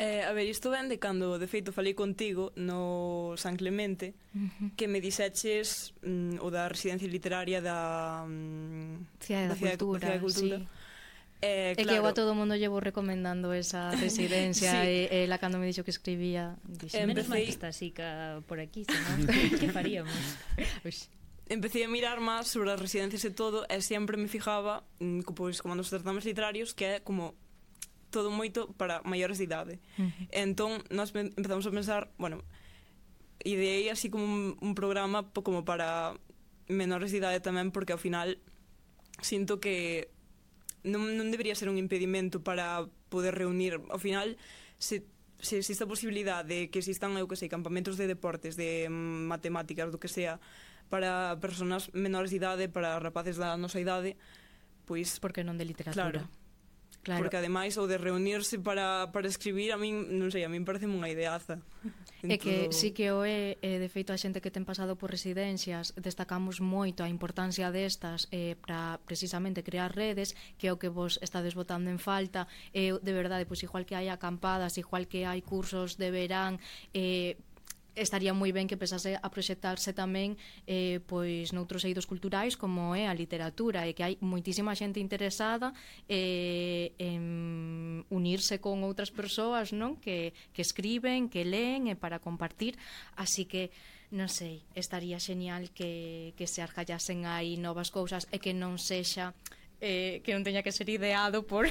Eh, a ver, isto ven de cando, de feito, falei contigo no San Clemente, uh-huh. que me dixeches mm, o da residencia literaria da mm, Cidade da, da Cultura, da Cultura. Sí. Eh, é claro. que eu a todo o mundo llevo recomendando esa residencia sí. e, e la cando me dixo que escribía dixe, menos mal que está así ca, por aquí, senón que faríamos? empecé a mirar máis sobre as residencias e todo, e sempre me fijaba, pois, como nos certames literarios, que é como todo moito para maiores de idade. Uh-huh. Entón, nós empezamos a pensar, bueno, ideei así como un, un programa como para menores de idade tamén, porque ao final sinto que non, non debería ser un impedimento para poder reunir. Ao final, se, se existe a posibilidade de que existan, eu que sei, campamentos de deportes, de matemáticas, do que sea, para persoas menores de idade, para rapaces da nosa idade, pois... Porque non de literatura. Claro. Claro. Porque ademais o de reunirse para, para escribir, a min, non sei, a min parece unha ideaza. É que sí que o é, eh, de feito, a xente que ten pasado por residencias, destacamos moito a importancia destas eh, para precisamente crear redes, que é o que vos estades botando en falta. Eh, de verdade, pois igual que hai acampadas, igual que hai cursos de verán, eh, estaría moi ben que empezase a proxectarse tamén eh, pois noutros eidos culturais como é a literatura, e que hai moitísima xente interesada eh, en unirse con outras persoas, non? Que, que escriben, que leen e para compartir, así que non sei, estaría xenial que, que se argallasen aí novas cousas e que non sexa Eh, que non teña que ser ideado por,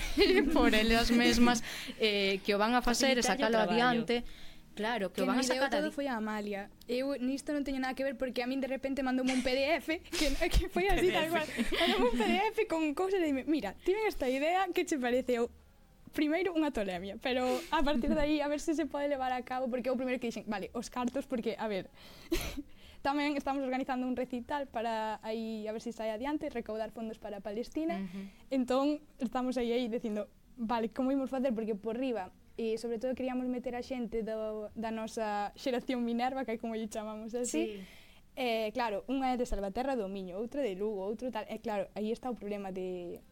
por elas mesmas, eh, que o van a facer e sacalo adiante. Claro, que, que o van a sacar todo foi a Amalia. Eu nisto non teño nada que ver, porque a min de repente mandoume un P D F que, que foi así tal cual. Mandoume un P D F con cousas e dime, mira, tiven esta idea, que che parece? Eu, primeiro unha tolemia, pero a partir de aí a ver se se pode levar a cabo, porque eu primeiro que dixen, vale, os cartos, porque, a ver, tamén estamos organizando un recital para aí, a ver se sai adiante, recaudar fondos para Palestina. Uh-huh. Entón, estamos aí aí dicindo, vale, como imos facer? Porque por riba, e sobre todo queríamos meter a xente do, da nosa xeración Minerva, que é como lle chamamos así. Sí. Eh, claro, unha é de Salvaterra do Miño, outra de Lugo, outro tal. E claro, aí está o problema de...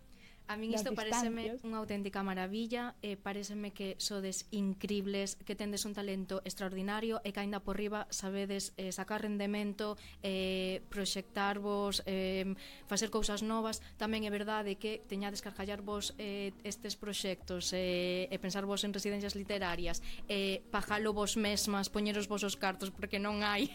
A min isto pareceme unha auténtica maravilla, e pareceme que sodes incribles, que tendes un talento extraordinario e que aínda por riba sabedes eh, sacar rendemento, eh, proxectarvos, eh, facer cousas novas. Tamén é verdade que teñades que argallarvos eh, estes proxectos eh, e pensarvos en residencias literarias, eh, pajalo vos mesmas, poñeros vos os cartos, porque non hai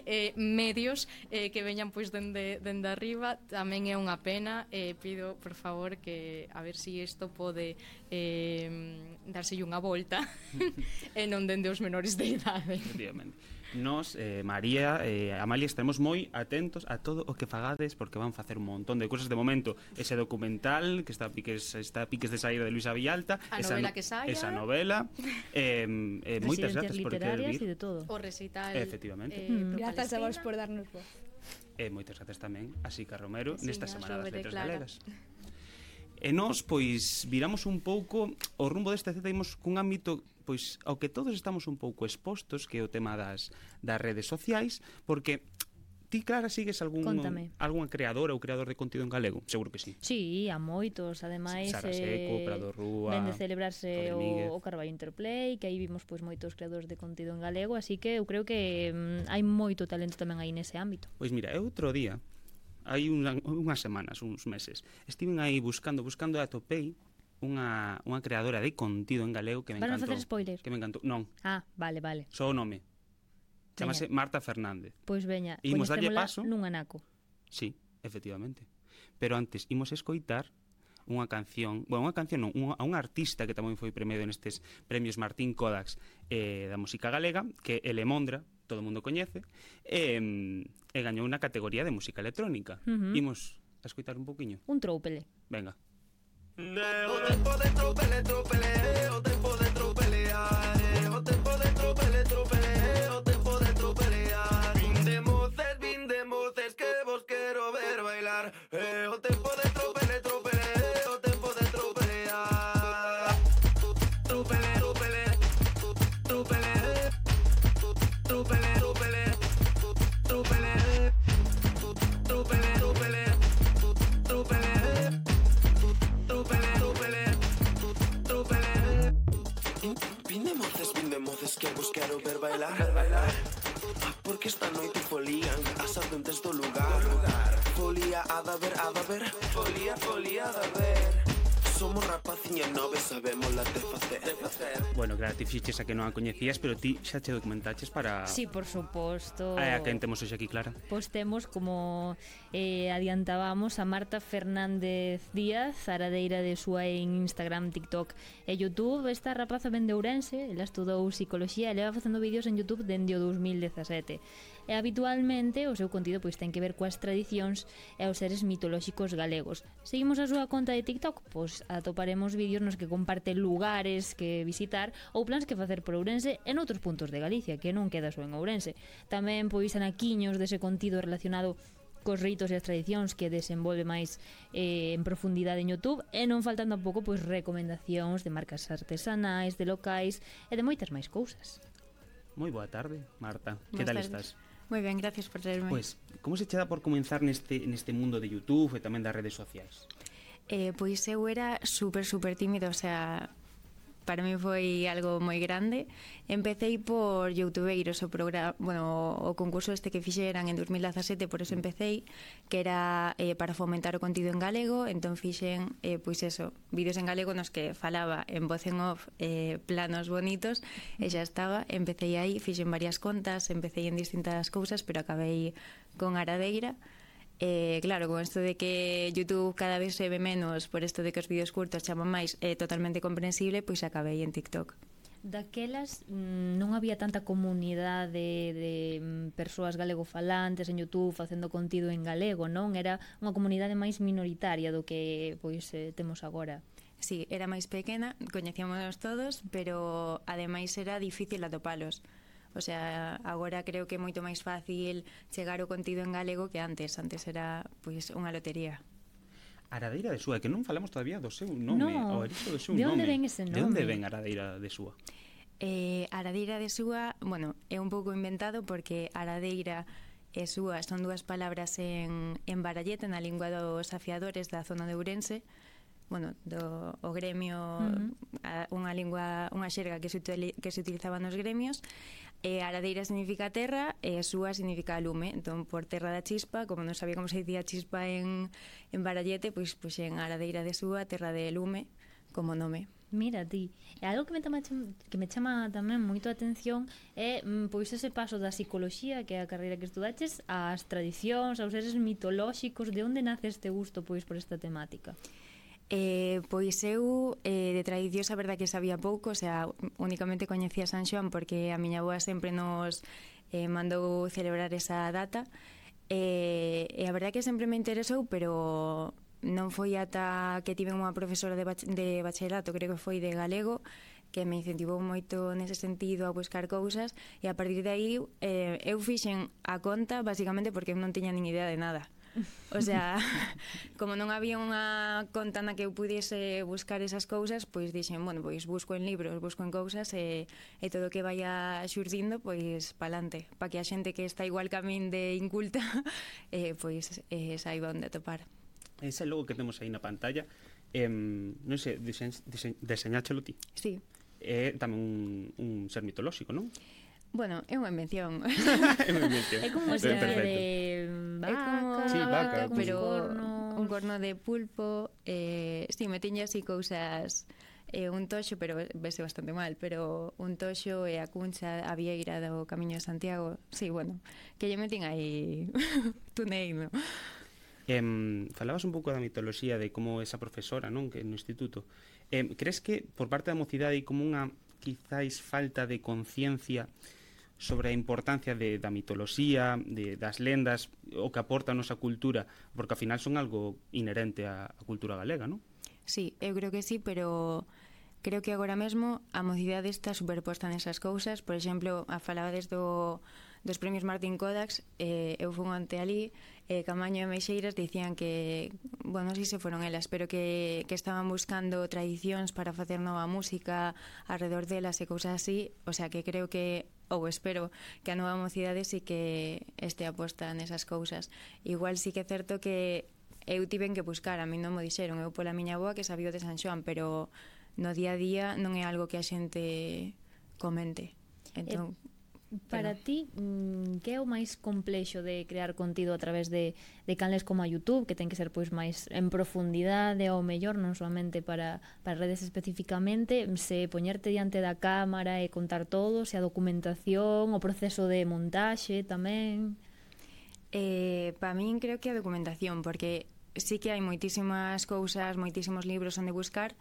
eh, medios eh, que veñan pois dende, dende arriba. Tamén é unha pena, e eh, pido, por favor, que a ver se si isto pode eh, darse unha volta e non dende os menores de idade. Efectivamente. Nos, eh, María, eh, Amalia, estaremos moi atentos a todo o que fagades, porque van facer un montón de cousas. De momento, ese documental que está a piques, está a piques de saída de Luisa Villalta, a esa novela no, que saia, esa novela, eh, eh, moitas grazas por querer vir. E de todo. O recital. Efectivamente. Eh, mm. Grazas a vos por darnos voz. E moitas grazas tamén a Sica Romero sí, nesta Semana das Letras Clara. Galegas. E nós, pois, viramos un pouco o rumbo deste Z, imos cun ámbito, pois, ao que todos estamos un pouco expostos, que é o tema das, das redes sociais, porque ti, Clara, sigues algún algunha creadora ou creador de contido en galego? Seguro que sí. Sí, a moitos, ademais Sara Seco, eh, Prado Rúa, ven de celebrarse o, o Carballo Interplay, que aí vimos pois moitos creadores de contido en galego, así que eu creo que mm, hai moito talento tamén aí nese ámbito. Pois mira, eu outro día, hai unha, unhas semanas, uns meses, estiven aí buscando, buscando e atopei unha, unha creadora de contido en galego que me Van encantou. a facer spoiler? Que me encantou. Non. Ah, vale, vale. Só o nome. Chamase Marta Fernández. Pois veña, imos darlle paso nun anaco. Sí, efectivamente. Pero antes imos escoitar unha canción, bueno, unha canción non, unha, a un artista que tamén foi premiado nestes premios Martín Kodax eh, da música galega, que é Elemondra, todo o mundo coñece, e, e gañou unha categoría de música electrónica. Uh-huh. Imos a escoitar un poquinho. Un troupele. Venga. O tempo de troupele, troupele, o tempo de troupelear, o tempo de troupele, troupele, o tempo de troupelear. Vin de moces, vin de moces, que vos quero ver bailar, eh, o tempo de troupele, troupele, o tempo de troupelear. Troupele, troupele, troupele, troupele, troupele, troupele, troupele, troupele, troupele, troupele, troupele. Vin de moces, vin de moces, que vos quero ver bailar, bailar. Porque esta noite folían as ardentes do lugar. Folía a da ver, a da ver, folía, folía a da ver. somos rapaciñas nove, sabemos las de facer. Bueno, claro, ti fixeches a que non a coñecías, pero ti xa che documentaches para... Sí, por suposto. Ah, a quen temos hoxe aquí, Clara? Pois temos, como eh, adiantábamos, a Marta Fernández Díaz, aradeira de súa en Instagram, TikTok e YouTube. Esta rapaza ven de Ourense, ela estudou psicoloxía e leva facendo vídeos en YouTube dende o dos mil dezasete. E habitualmente o seu contido pois ten que ver coas tradicións e os seres mitolóxicos galegos. Seguimos a súa conta de TikTok, pois atoparemos vídeos nos que comparte lugares que visitar ou plans que facer por Ourense e noutros puntos de Galicia, que non queda só en Ourense. Tamén pois anaquiños dese contido relacionado cos ritos e as tradicións que desenvolve máis eh, en profundidade en YouTube, e non faltan tampouco pois recomendacións de marcas artesanais, de locais e de moitas máis cousas. Moi boa tarde, Marta. Que tal estás? Moi ben, gracias por traerme. Pois, como se che dá por comenzar neste, neste mundo de YouTube e tamén das redes sociais? Eh, pois eu era super, super tímida, o sea, para mí foi algo moi grande. Empecéi por Youtubeiros, o programa, bueno, o concurso este que fixeran en dos mil dezasete, por eso empecéi, que era eh, para fomentar o contido en galego. Entón fixen, eh, pois eso, vídeos en galego nos que falaba en voz en off eh, planos bonitos, e xa estaba. Empecéi aí, fixen varias contas, empecéi en distintas cousas, pero acabei con Aradeira. Eh, claro, con isto de que YouTube cada vez se ve menos, por isto de que os vídeos curtos chaman máis, é eh, totalmente comprensible, pois acabei en TikTok. Daquelas non había tanta comunidade de, de persoas galegofalantes en YouTube facendo contido en galego, non? Era unha comunidade máis minoritaria do que pois eh, temos agora. Sí, era máis pequena, coñecíamos todos, pero ademais era difícil atopalos. O sea, agora creo que é moito máis fácil chegar o contido en galego que antes. Antes era, pois, unha lotería. Aradeira de Súa, que non falamos todavía do seu nome, no. o orixe do seu de nome. onde ven ese nome? De onde ven Aradeira de Súa? Eh, Aradeira de Súa, bueno, é un pouco inventado porque Aradeira e Súa son dúas palabras en, en Barallete, na lingua dos afiadores da zona de Ourense. Bueno, do o gremio, uh-huh. a, unha lingua, unha xerga que se, utili, que se utilizaba nos gremios. E Aradeira significa terra e Súa significa lume. Entón, por terra da chispa, como non sabía como se dicía chispa en, en Barallete, pois puxen Aradeira de Súa, terra de lume, como nome. Mira ti, e algo que me chama, que me chama tamén moito a atención é pois ese paso da psicoloxía, que é a carreira que estudaches, ás tradicións, aos seres mitolóxicos. De onde nace este gusto pois por esta temática? Eh, pois eu eh, de tradicións a verdad que sabía pouco, o sea, únicamente coñecía San Xoán porque a miña avoa sempre nos eh, mandou celebrar esa data, eh, e a verdad que sempre me interesou, pero non foi ata que tive unha profesora de, bach de bachillerato, creo que foi de galego, que me incentivou moito nese sentido a buscar cousas, e a partir de aí eh, eu fixen a conta basicamente porque eu non tiña nin idea de nada. O sea, como non había unha conta na que eu pudiese buscar esas cousas, pois dixen, bueno, pois busco en libros, busco en cousas e, e todo o que vaya xurdindo, pois palante, para que a xente que está igual que a min de inculta eh, pois eh, saiba onde topar. Ese logo que temos aí na pantalla, eh, non sei, disen, disen, deseñáchelo ti? Sí. É tamén un, un ser mitolóxico, non? Bueno, é unha invención. É unha invención. É como se de vaca, é como sí, vaca, pero cornos. Un corno de pulpo. Eh, sí, me tiña así cousas, eh, un toxo, pero vese bastante mal, pero un toxo e a cuncha, a vieira do Camiño de Santiago. Sí, bueno, que lle metín aí tuneino. Eh, falabas un pouco da mitoloxía de como esa profesora, non, que no instituto. Eh, crees que por parte da mocidade hai como unha quizáis falta de conciencia sobre a importancia de, da mitoloxía, de, das lendas, o que aporta a nosa cultura, porque ao final son algo inherente á, á cultura galega, non? Sí, eu creo que sí, pero creo que agora mesmo a mocidade está superposta nesas cousas. Por exemplo, a falabades do, dos premios Martín Kodax, eh, eu fui ante ali, eh, Camaño e Meixeiras dicían que, bueno, non sei se foron elas, pero que, que estaban buscando tradicións para facer nova música alrededor delas e cousas así. O sea, que creo que, ou espero, que a nova mocidade sí que este aposta nesas cousas. Igual sí que é certo que eu tiven que buscar, a mí non me dixeron, eu pola miña avoa que sabía de San Xoán, pero no día a día non é algo que a xente comente. Entón, Para ti, mm, que é o máis complexo de crear contido a través de, de canles como a YouTube, que ten que ser pois máis en profundidade ou mellor, non solamente para, para redes especificamente, se poñerte diante da cámara e contar todo, se a documentación, o proceso de montaxe tamén? Eh, para min creo que a documentación, porque sí que hai moitísimas cousas, moitísimos libros onde buscar,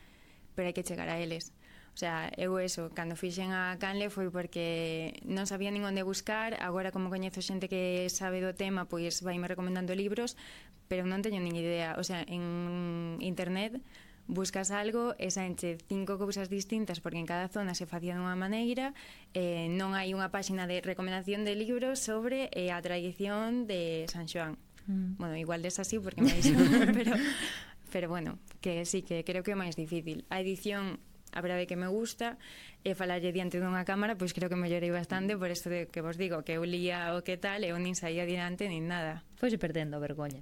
pero hai que chegar a eles. O sea, eu eso, cando fixen a canle foi porque non sabía nin onde buscar. Agora, como coñezo xente que sabe do tema, pois vaime recomendando libros, pero non teño nin idea. O sea, en internet buscas algo e saenche cinco cousas distintas, porque en cada zona se facía dunha maneira. eh, non hai unha páxina de recomendación de libros sobre eh, a tradición de San Xoán. Mm. Bueno, igual des así porque me pero, pero bueno, que sí, que creo que é máis difícil. A edición, a verdade que me gusta, e falarlle diante dunha cámara, pois creo que mellorei bastante, por isto de que vos digo, que eu lía o que tal, eu nin saía diante nin nada. Foise perdendo a vergoña.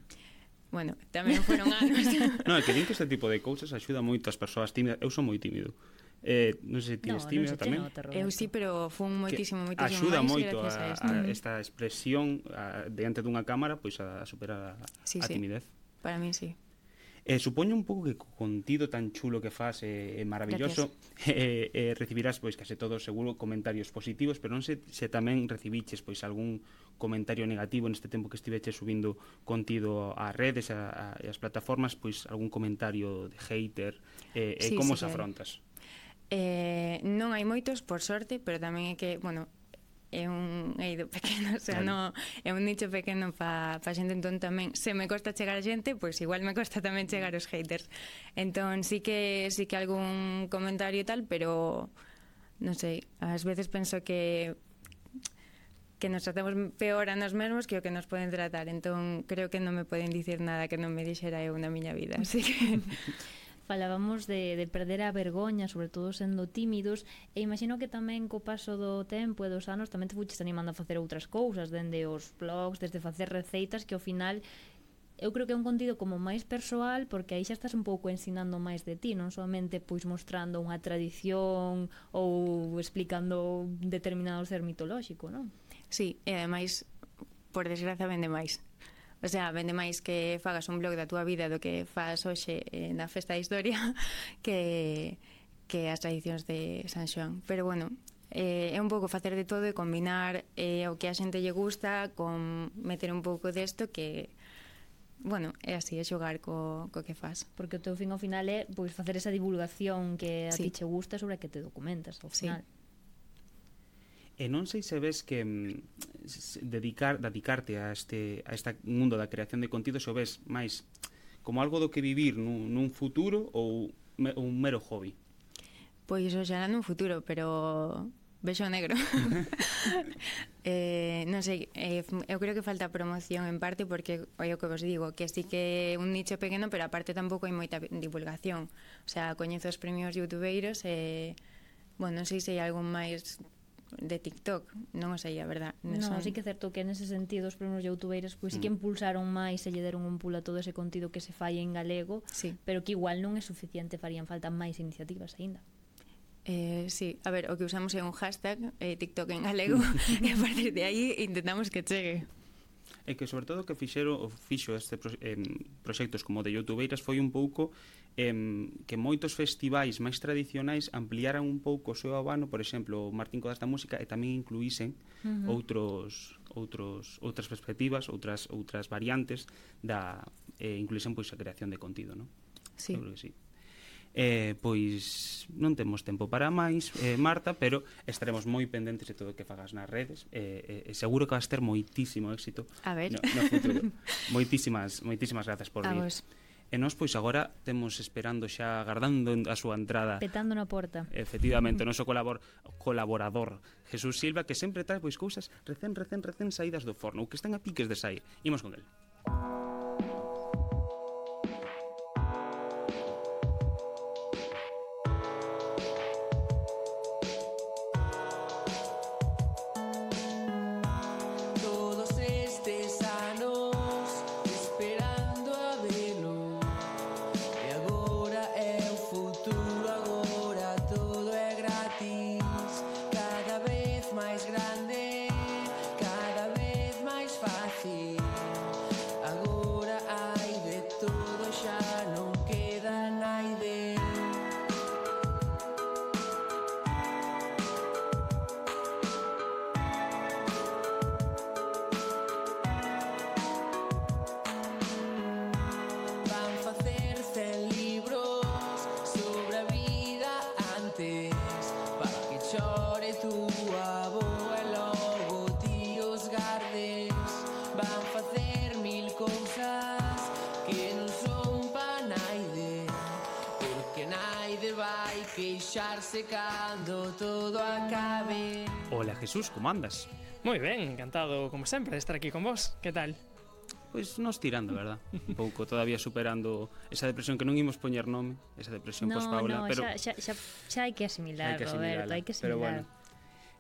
Bueno, tamén foron anos. Non, é que din que este tipo de cousas axuda moito as persoas tímidas. Eu son moi tímido. Eh, non sei se ti es tímida tamén. Eu sí, pero fun moitísimo, moitísimo axuda máis moito gracias a, a, a esta expresión a, diante dunha cámara, pois a, a superar a, sí, a sí. timidez. Para mí sí. Eh, supoño un pouco que co contido tan chulo que fas é eh, maravilloso, eh, eh, recibirás pois case todos seguro comentarios positivos, pero non sei se tamén recibiches pois algún comentario negativo neste tempo que estiveche subindo contido ás redes e ás plataformas, pois algún comentario de hater, eh, sí, e como sí, os afrontas? Eh, non hai moitos, por sorte, pero tamén é que, bueno, é un eido pequeno, o sea, no, é un nicho pequeno pa, pa xente, entón tamén se me costa chegar a xente, pois igual me costa tamén chegar os haters. Entón sí que sí que algún comentario e tal, pero non sei, ás veces penso que que nos tratamos peor a nos mesmos que o que nos poden tratar, entón creo que non me poden dicir nada que non me dixera eu na miña vida, así que falábamos de, de perder a vergoña, sobre todo sendo tímidos, e imagino que tamén co paso do tempo e dos anos tamén te fuches animando a facer outras cousas, dende os blogs, desde facer receitas, que ao final eu creo que é un contido como máis persoal, porque aí xa estás un pouco ensinando máis de ti, non solamente pois mostrando unha tradición ou explicando determinado ser mitolóxico, non? Sí, e ademais, por desgraza, vende máis. O sea, vende máis que fagas un blog da túa vida do que faz hoxe eh, na Festa da Historia que, que as tradicións de San Xoán. Pero bueno, eh, é un pouco facer de todo e combinar eh, o que a xente lle gusta con meter un pouco desto que, bueno, é así, é xogar co, co que fas. Porque o teu fin ao final é pois, facer esa divulgación que a sí. ti che gusta sobre a que te documentas ao final. Sí. E non sei se ves que mm, dedicar, dedicarte a este, a este mundo da creación de contido se o ves máis como algo do que vivir nun, nun futuro ou me, un mero hobby? Pois o xerá nun futuro, pero vexo negro. eh, non sei, eh, eu creo que falta promoción en parte porque é o que vos digo, que sí que é un nicho pequeno, pero aparte tampouco hai moita divulgación. O sea, coñezo os premios youtubeiros e, bueno, non sei se hai algún máis de TikTok, non o sei, a verdad. Non, son... sí que é certo que nese sentido os premios youtubeiros pois sí que impulsaron máis e lle deron un pulo a todo ese contido que se fai en galego, sí. pero que igual non é suficiente, farían falta máis iniciativas aínda. Eh, sí, a ver, o que usamos é un hashtag eh, TikTok en galego e a partir de aí intentamos que chegue. É que sobre todo o que fixeron, o fixo este pro, eh, proxectos como de youtubeiras foi un pouco eh, que moitos festivais máis tradicionais ampliaran un pouco o seu abano, por exemplo, o Martín Codas da Música, e tamén incluísen uh-huh. outros outros outras perspectivas, outras outras variantes da eh, incluísen pois a creación de contido, non? Sí. Eu creo que sí. Eh, pois non temos tempo para máis, eh, Marta, pero estaremos moi pendentes de todo o que fagas nas redes, e eh, eh, seguro que vas ter moitísimo éxito a ver. No, no futuro. moitísimas, moitísimas grazas por vir. Vos. E nós pois agora temos esperando xa, agardando a súa entrada, petando na porta, efectivamente, o noso colabor, colaborador Jesús Silva, que sempre trae pois cousas recén, recén, recén saídas do forno, ou que están a piques de sair. Imos con el. Cada vez máis grande marcharse cando todo acabe. Hola Jesús, como andas? Moi ben, encantado como sempre de estar aquí con vos. Que tal? Pois pues nos tirando, verdad? Un pouco todavía superando esa depresión que non imos poñer nome, esa depresión no, post-Paula, no, pero xa, xa, xa hai que asimilar, hai que Roberto, hai que asimilar. Pero bueno.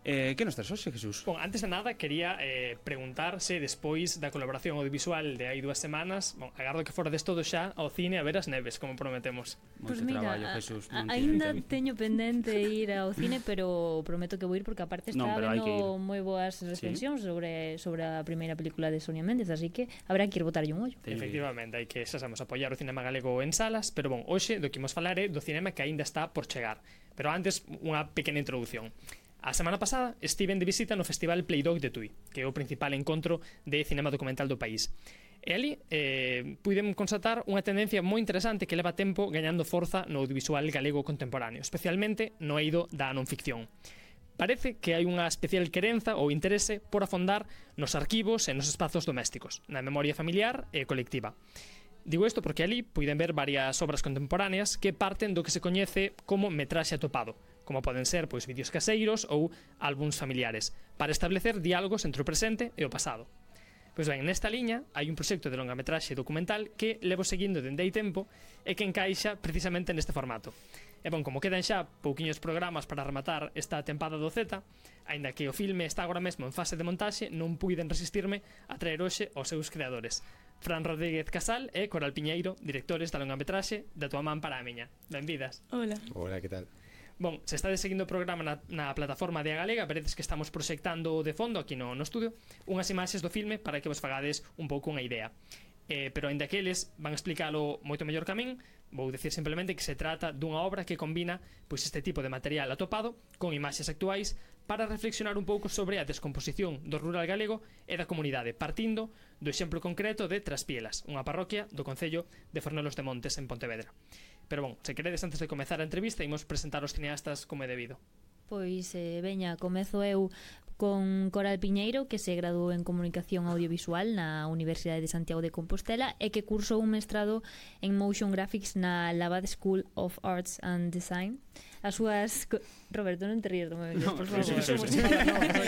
Eh, que nos traes hoxe, Jesús? Bon, antes de nada, quería eh, preguntar se despois da colaboración audiovisual de hai dúas semanas, bon, agardo que forades todo xa ao cine a ver as neves, como prometemos. Pois pues mira, traballo, Jesús, aínda teño pendente ir ao cine, pero prometo que vou ir porque aparte está no, vendo moi boas recensións ¿sí? sobre, sobre a primeira película de Sonia Méndez, así que habrá que ir botarlle un ollo. Efectivamente, hai que, xa sabemos, apoiar o cinema galego en salas, pero bon, hoxe do que imos falar é do cinema que aínda está por chegar. Pero antes, unha pequena introducción. A semana pasada estiven de visita no Festival Playdog de Tui, que é o principal encontro de cinema documental do país. E ali eh, puidem constatar unha tendencia moi interesante que leva tempo gañando forza no audiovisual galego contemporáneo, especialmente no eido da non ficción. Parece que hai unha especial querenza ou interese por afondar nos arquivos e nos espazos domésticos, na memoria familiar e colectiva. Digo isto porque ali puiden ver varias obras contemporáneas que parten do que se coñece como metraxe atopado, como poden ser pois vídeos caseiros ou álbuns familiares, para establecer diálogos entre o presente e o pasado. Pois ben, nesta liña hai un proxecto de longametraxe documental que levo seguindo dende hai tempo e que encaixa precisamente neste formato. E bon, como quedan xa pouquiños programas para rematar esta tempada do Z, aínda que o filme está agora mesmo en fase de montaxe, non puiden resistirme a traer hoxe aos seus creadores, Fran Rodríguez Casal e Coral Piñeiro, directores da longametraxe Da tua man para a miña. Benvidas. Hola. Hola, que tal? Bon, se estades seguindo o programa na, na plataforma de A Galega, veredes que estamos proxectando de fondo aquí no, no estudio unhas imaxes do filme para que vos fagades un pouco unha idea. Eh, pero ainda que eles van explicalo moito mellor que a min, vou dicir simplemente que se trata dunha obra que combina pois este tipo de material atopado con imaxes actuais para reflexionar un pouco sobre a descomposición do rural galego e da comunidade, partindo do exemplo concreto de Traspielas, unha parroquia do concello de Fornelos de Montes en Pontevedra. Pero bon, se queredes antes de comezar a entrevista, imos presentar os cineastas como é debido. Pois, eh, veña, comezo eu con Coral Piñeiro, que se graduou en Comunicación Audiovisual na Universidade de Santiago de Compostela e que cursou un mestrado en Motion Graphics na Laval School of Arts and Design. As súas... Roberto, non te ríes do meu inglés, no, por favor.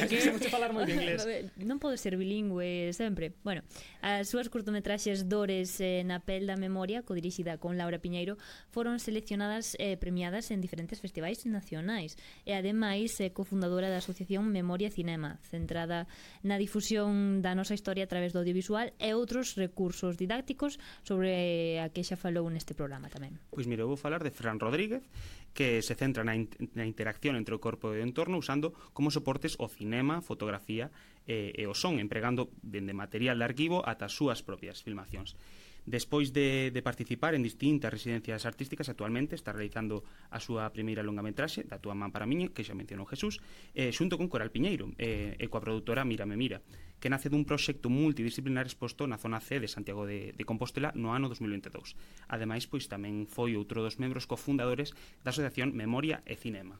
Queremos falar moi de inglés. Non podo ser bilingüe sempre. Bueno, as súas curtometraxes Dores eh, na pel da memoria, codirixida con Laura Piñeiro, foron seleccionadas e eh, premiadas en diferentes festivais nacionais. E ademais é eh, cofundadora da Asociación Memoria Cinema, centrada na difusión da nosa historia a través do audiovisual e outros recursos didácticos sobre a que xa falou neste programa tamén. Pois mira, vou falar de Fran Rodríguez, que se centra na, in na interacción entre o corpo e o entorno usando como soportes o cinema, fotografía e, e o son, empregando dende material de arquivo ata as súas propias filmacións. Despois de, de participar en distintas residencias artísticas, actualmente está realizando a súa primeira longametraxe, Da tua man para a miña, que xa mencionou Jesús, eh, xunto con Coral Piñeiro eh, e coa produtora Mírame Mira, que nace dun proxecto multidisciplinar exposto na zona C de Santiago de, de Compostela no ano dos mil veintidous. Ademais, pois tamén foi outro dos membros cofundadores da Asociación Memoria e Cinema.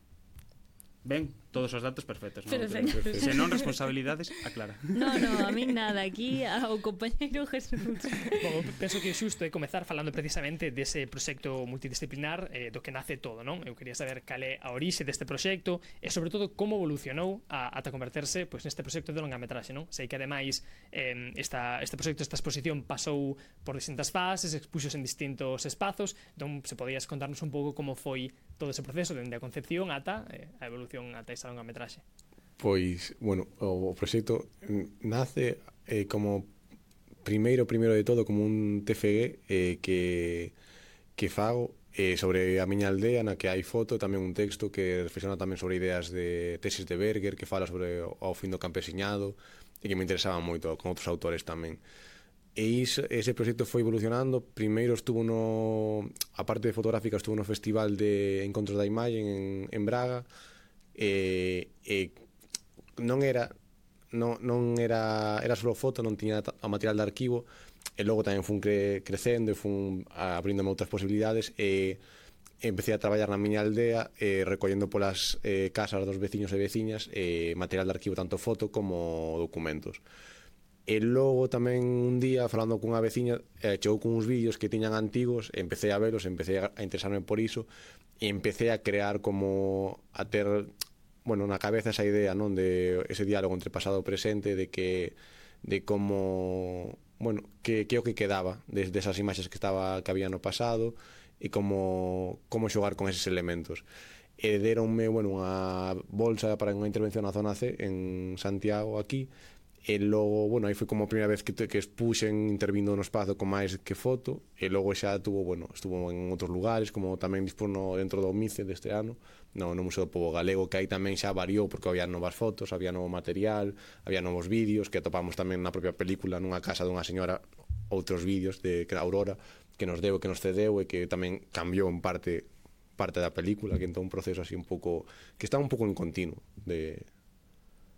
Ben, todos os datos perfectos, non? Perfecto. Se non responsabilidades, aclara. No, no, a min nada, aquí ao compañeiro Jesús. Bom, penso que é xusto é comezar falando precisamente dese proxecto multidisciplinar eh, do que nace todo, non? Eu quería saber cal é a orixe deste proxecto e sobre todo como evolucionou a, ata converterse pois, neste proxecto de longametraxe, non? Sei que ademais eh, esta, este proxecto, esta exposición pasou por distintas fases, expuxos en distintos espazos, entón se podías contarnos un pouco como foi todo ese proceso dende a concepción ata eh, a evolución ata esa longametraxe. Pois, bueno, o proxecto nace eh, como primeiro, primeiro de todo, como un T F G eh, que, que fago eh, sobre a miña aldea, na que hai foto, tamén un texto que reflexiona tamén sobre ideas de tesis de Berger, que fala sobre o fin do campesiñado, e que me interesaba moito, con outros autores tamén. E iso, ese proxecto foi evolucionando. Primeiro estuvo no, a parte de fotográfica, estuvo no Festival de Encontros da Imagen en, en Braga, e, e non era non, non era era só foto, non tiña a material de arquivo, e logo tamén fun cre, crecendo e fun abrindome outras posibilidades e empecé a traballar na miña aldea eh, recollendo polas eh, casas dos veciños e veciñas eh, material de arquivo, tanto foto como documentos. E logo tamén un día, falando cunha veciña, eh, chegou con uns vídeos que tiñan antigos, empecé a velos, empecé a interesarme por iso, e empecé a crear como a ter, bueno, na cabeza esa idea, non, de ese diálogo entre pasado e presente, de que de como, bueno, que que o que quedaba desde esas imaxes que estaba que había no pasado e como como xogar con eses elementos. E deronme, bueno, unha bolsa para unha intervención na zona C en Santiago aquí, e logo, bueno, aí foi como a primeira vez que, que expuxen intervindo no espazo con máis que foto, e logo xa tuvo, bueno, estuvo en outros lugares, como tamén dispono dentro do MICE deste ano, no, no Museo do Pobo Galego, que aí tamén xa variou porque había novas fotos, había novo material, había novos vídeos, que atopamos tamén na propia película nunha casa dunha señora outros vídeos de que era Aurora, que nos deu e que nos cedeu e que tamén cambiou en parte parte da película, que entón un proceso así un pouco que está un pouco en continuo de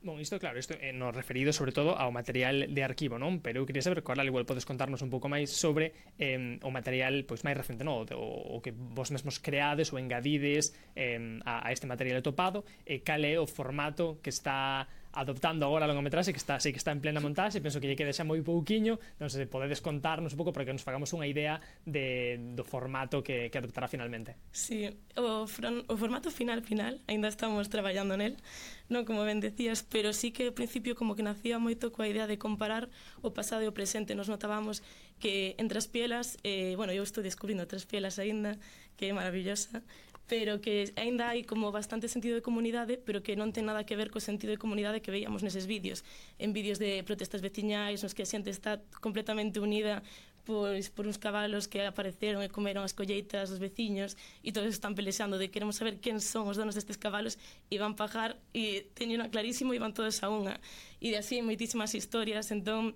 Bon, isto, claro, isto é no referido sobre todo ao material de arquivo, non? Pero eu queria saber, Coral, igual podes contarnos un pouco máis sobre eh, o material pois máis recente, non? O, o que vos mesmos creades ou engadides eh, a, a este material topado, e cal é o formato que está adoptando agora a longometraxe, que está, sei que está en plena montaxe, penso que lle quede xa moi pouquiño, non sei se podedes contarnos un pouco para que nos fagamos unha idea de, do formato que, que adoptará finalmente. Sí, o, fron, o formato final final, ainda estamos traballando nel, non como ben decías, pero sí que ao principio como que nacía moito coa idea de comparar o pasado e o presente. Nos notábamos que entre as pielas, eh, bueno, eu estou descubrindo Tres Pielas aínda, que é maravillosa, pero que aínda hai como bastante sentido de comunidade, pero que non ten nada que ver co sentido de comunidade que veíamos neses vídeos, en vídeos de protestas veciñais nos que a xente está completamente unida pois por uns cabalos que apareceron e comeron as colleitas dos veciños, e todos están pelexando de queremos saber quen son os donos destes cabalos, e van pagar e teñen clarísimo e van todos a unha, e de así moitísimas historias. Entón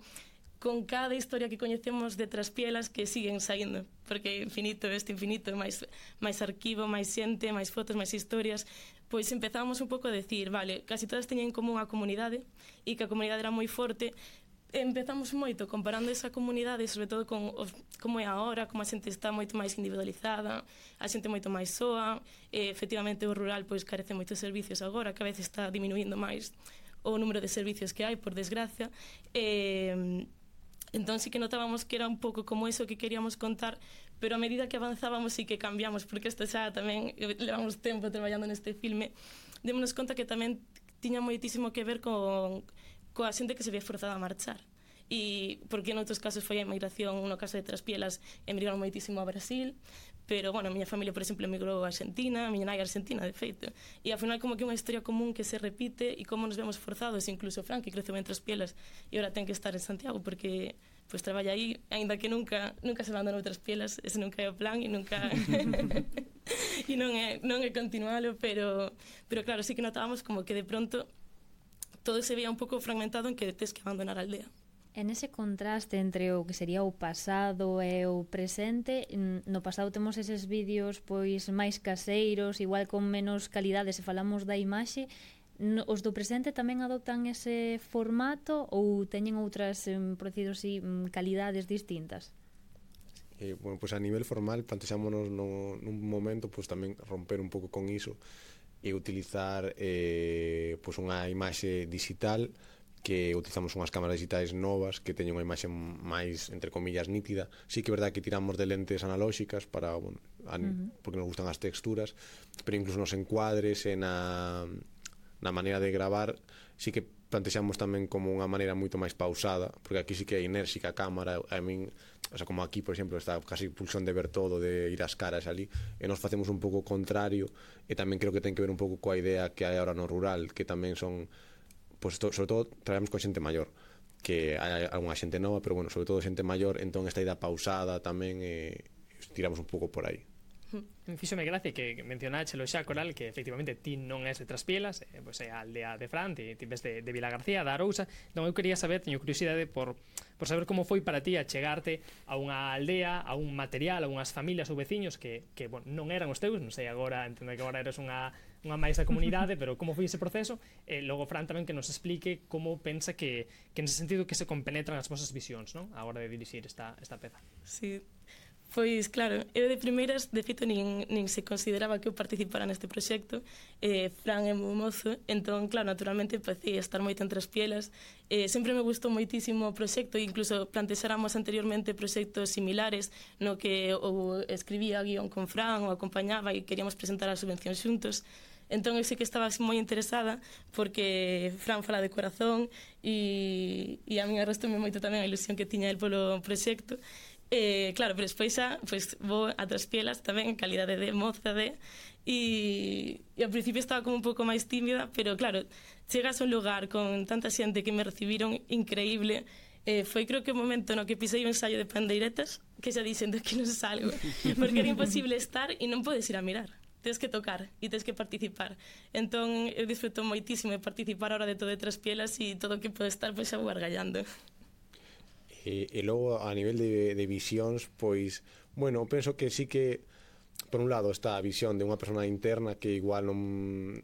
con cada historia que coñecemos de Traspielas que siguen saindo, porque infinito, este infinito, máis, máis arquivo, máis xente, máis fotos, máis historias, pois empezamos un pouco a decir, vale, casi todas teñen en común a comunidade, e que a comunidade era moi forte. Empezamos moito comparando esa comunidade, sobre todo con os, como é agora, como a xente está moito máis individualizada, a xente moito máis soa, e efectivamente o rural pois carece moitos servicios agora, que a veces está diminuindo máis o número de servicios que hai, por desgracia, e entón sí que notábamos que era un pouco como eso que queríamos contar, pero a medida que avanzábamos sí que cambiamos, porque isto xa tamén levamos tempo traballando neste filme, démonos conta que tamén tiña moitísimo que ver con coa xente que se ve forzada a marchar, e porque noutros casos foi a emigración, no caso de Traspielas emigraron moitísimo a Brasil, pero, bueno, a miña familia, por exemplo, emigrou a Argentina, a miña nai a Argentina, de feito, e ao final como que é unha historia común que se repite e como nos vemos forzados, incluso Fran, que creceu en Traspielas e agora ten que estar en Santiago porque pois traballa aí, aínda que nunca nunca se abandonou Traspielas, ese nunca é o plan e nunca e non é, non é continualo, pero, pero claro, sí que notábamos como que de pronto todo se veía un pouco fragmentado en que tes que abandonar a aldea. En ese contraste entre o que sería o pasado e o presente, no pasado temos eses vídeos pois máis caseiros, igual con menos calidade, se falamos da imaxe, os do presente tamén adoptan ese formato ou teñen outras, por decirlo así, calidades distintas? Eh, bueno, pues a nivel formal plantexámonos no, nun momento pues tamén romper un pouco con iso e utilizar eh, pues unha imaxe digital, que utilizamos unhas cámaras digitais novas que teñen unha imaxe máis, entre comillas, nítida. Sí que é verdade que tiramos de lentes analóxicas para, bueno, a, uh-huh. porque nos gustan as texturas, pero incluso nos encuadres e na, na maneira de gravar sí que plantexamos tamén como unha maneira moito máis pausada, porque aquí sí que é enérxica a cámara, a min, o sea, como aquí, por exemplo, está casi pulsión de ver todo, de ir ás caras ali, e nos facemos un pouco contrario, e tamén creo que ten que ver un pouco coa idea que hai ahora no rural, que tamén son pues, to, sobre todo traballamos con xente maior, que hai algunha xente nova, pero bueno, sobre todo xente maior, entón esta idea pausada tamén eh, tiramos un pouco por aí. Fíxome gracia que mencionáchelo xa, Coral, que efectivamente ti non és de Traspielas, eh, pois é a aldea de Fran, ti, ti ves de, de Vila García, da Arousa. Non, eu quería saber, teño curiosidade por, por saber como foi para ti a chegarte a unha aldea, a un material, a unhas familias ou veciños que, que bueno, non eran os teus, non sei agora, entendo que agora eres unha unha máis da comunidade, pero como foi ese proceso? E logo Fran tamén que nos explique como pensa que, que nese sentido que se compenetran as vosas visións, non? A hora de dirixir esta, esta peza. Sí, Pois, claro, eu de primeiras, de feito, nin, nin se consideraba que eu participara neste proxecto. eh, Fran é moi mozo, entón, claro, naturalmente empecé a estar moito entre as pielas. eh, Sempre me gustou moitísimo o proxecto, incluso plantexáramos anteriormente proxectos similares no que ou escribía guión con Fran ou acompañaba e queríamos presentar a subvención xuntos. Entón eu sei que estaba moi interesada porque Fran fala de corazón e, e a mí arrastoume moito tamén a ilusión que tiña el polo proxecto. Eh, claro, pero despois xa pues, vou a traspielas tamén en calidade de moza de e, e ao principio estaba como un pouco máis tímida, pero claro, chegas a un lugar con tanta xente que me recibiron increíble. eh, foi creo que o momento no que pisei o ensaio de Pandeiretas que xa dixen de que non salgo porque era imposible estar e non podes ir a mirar, tens que tocar e tens que participar. Entón eu disfruto moitísimo de participar ahora de todo de traspielas e todo o que pode estar pois xa vou argallando. E, e logo a nivel de, de visións, pois, bueno, penso que sí que por un lado está a visión de unha persona interna que igual non,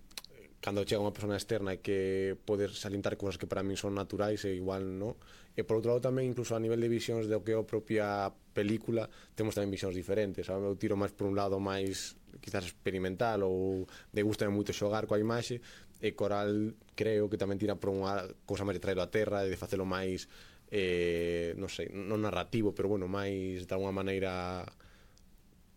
cando chega unha persona externa e que poder salientar cousas que para min son naturais e igual non. E por outro lado tamén incluso a nivel de visións do que é a propia película temos tamén visións diferentes, sabe? Eu tiro máis por un lado máis quizás experimental ou de gusta moito xogar coa imaxe, e Coral creo que tamén tira por unha cousa máis de traelo a terra e de facelo máis eh, non sei, non narrativo, pero bueno, máis de alguna maneira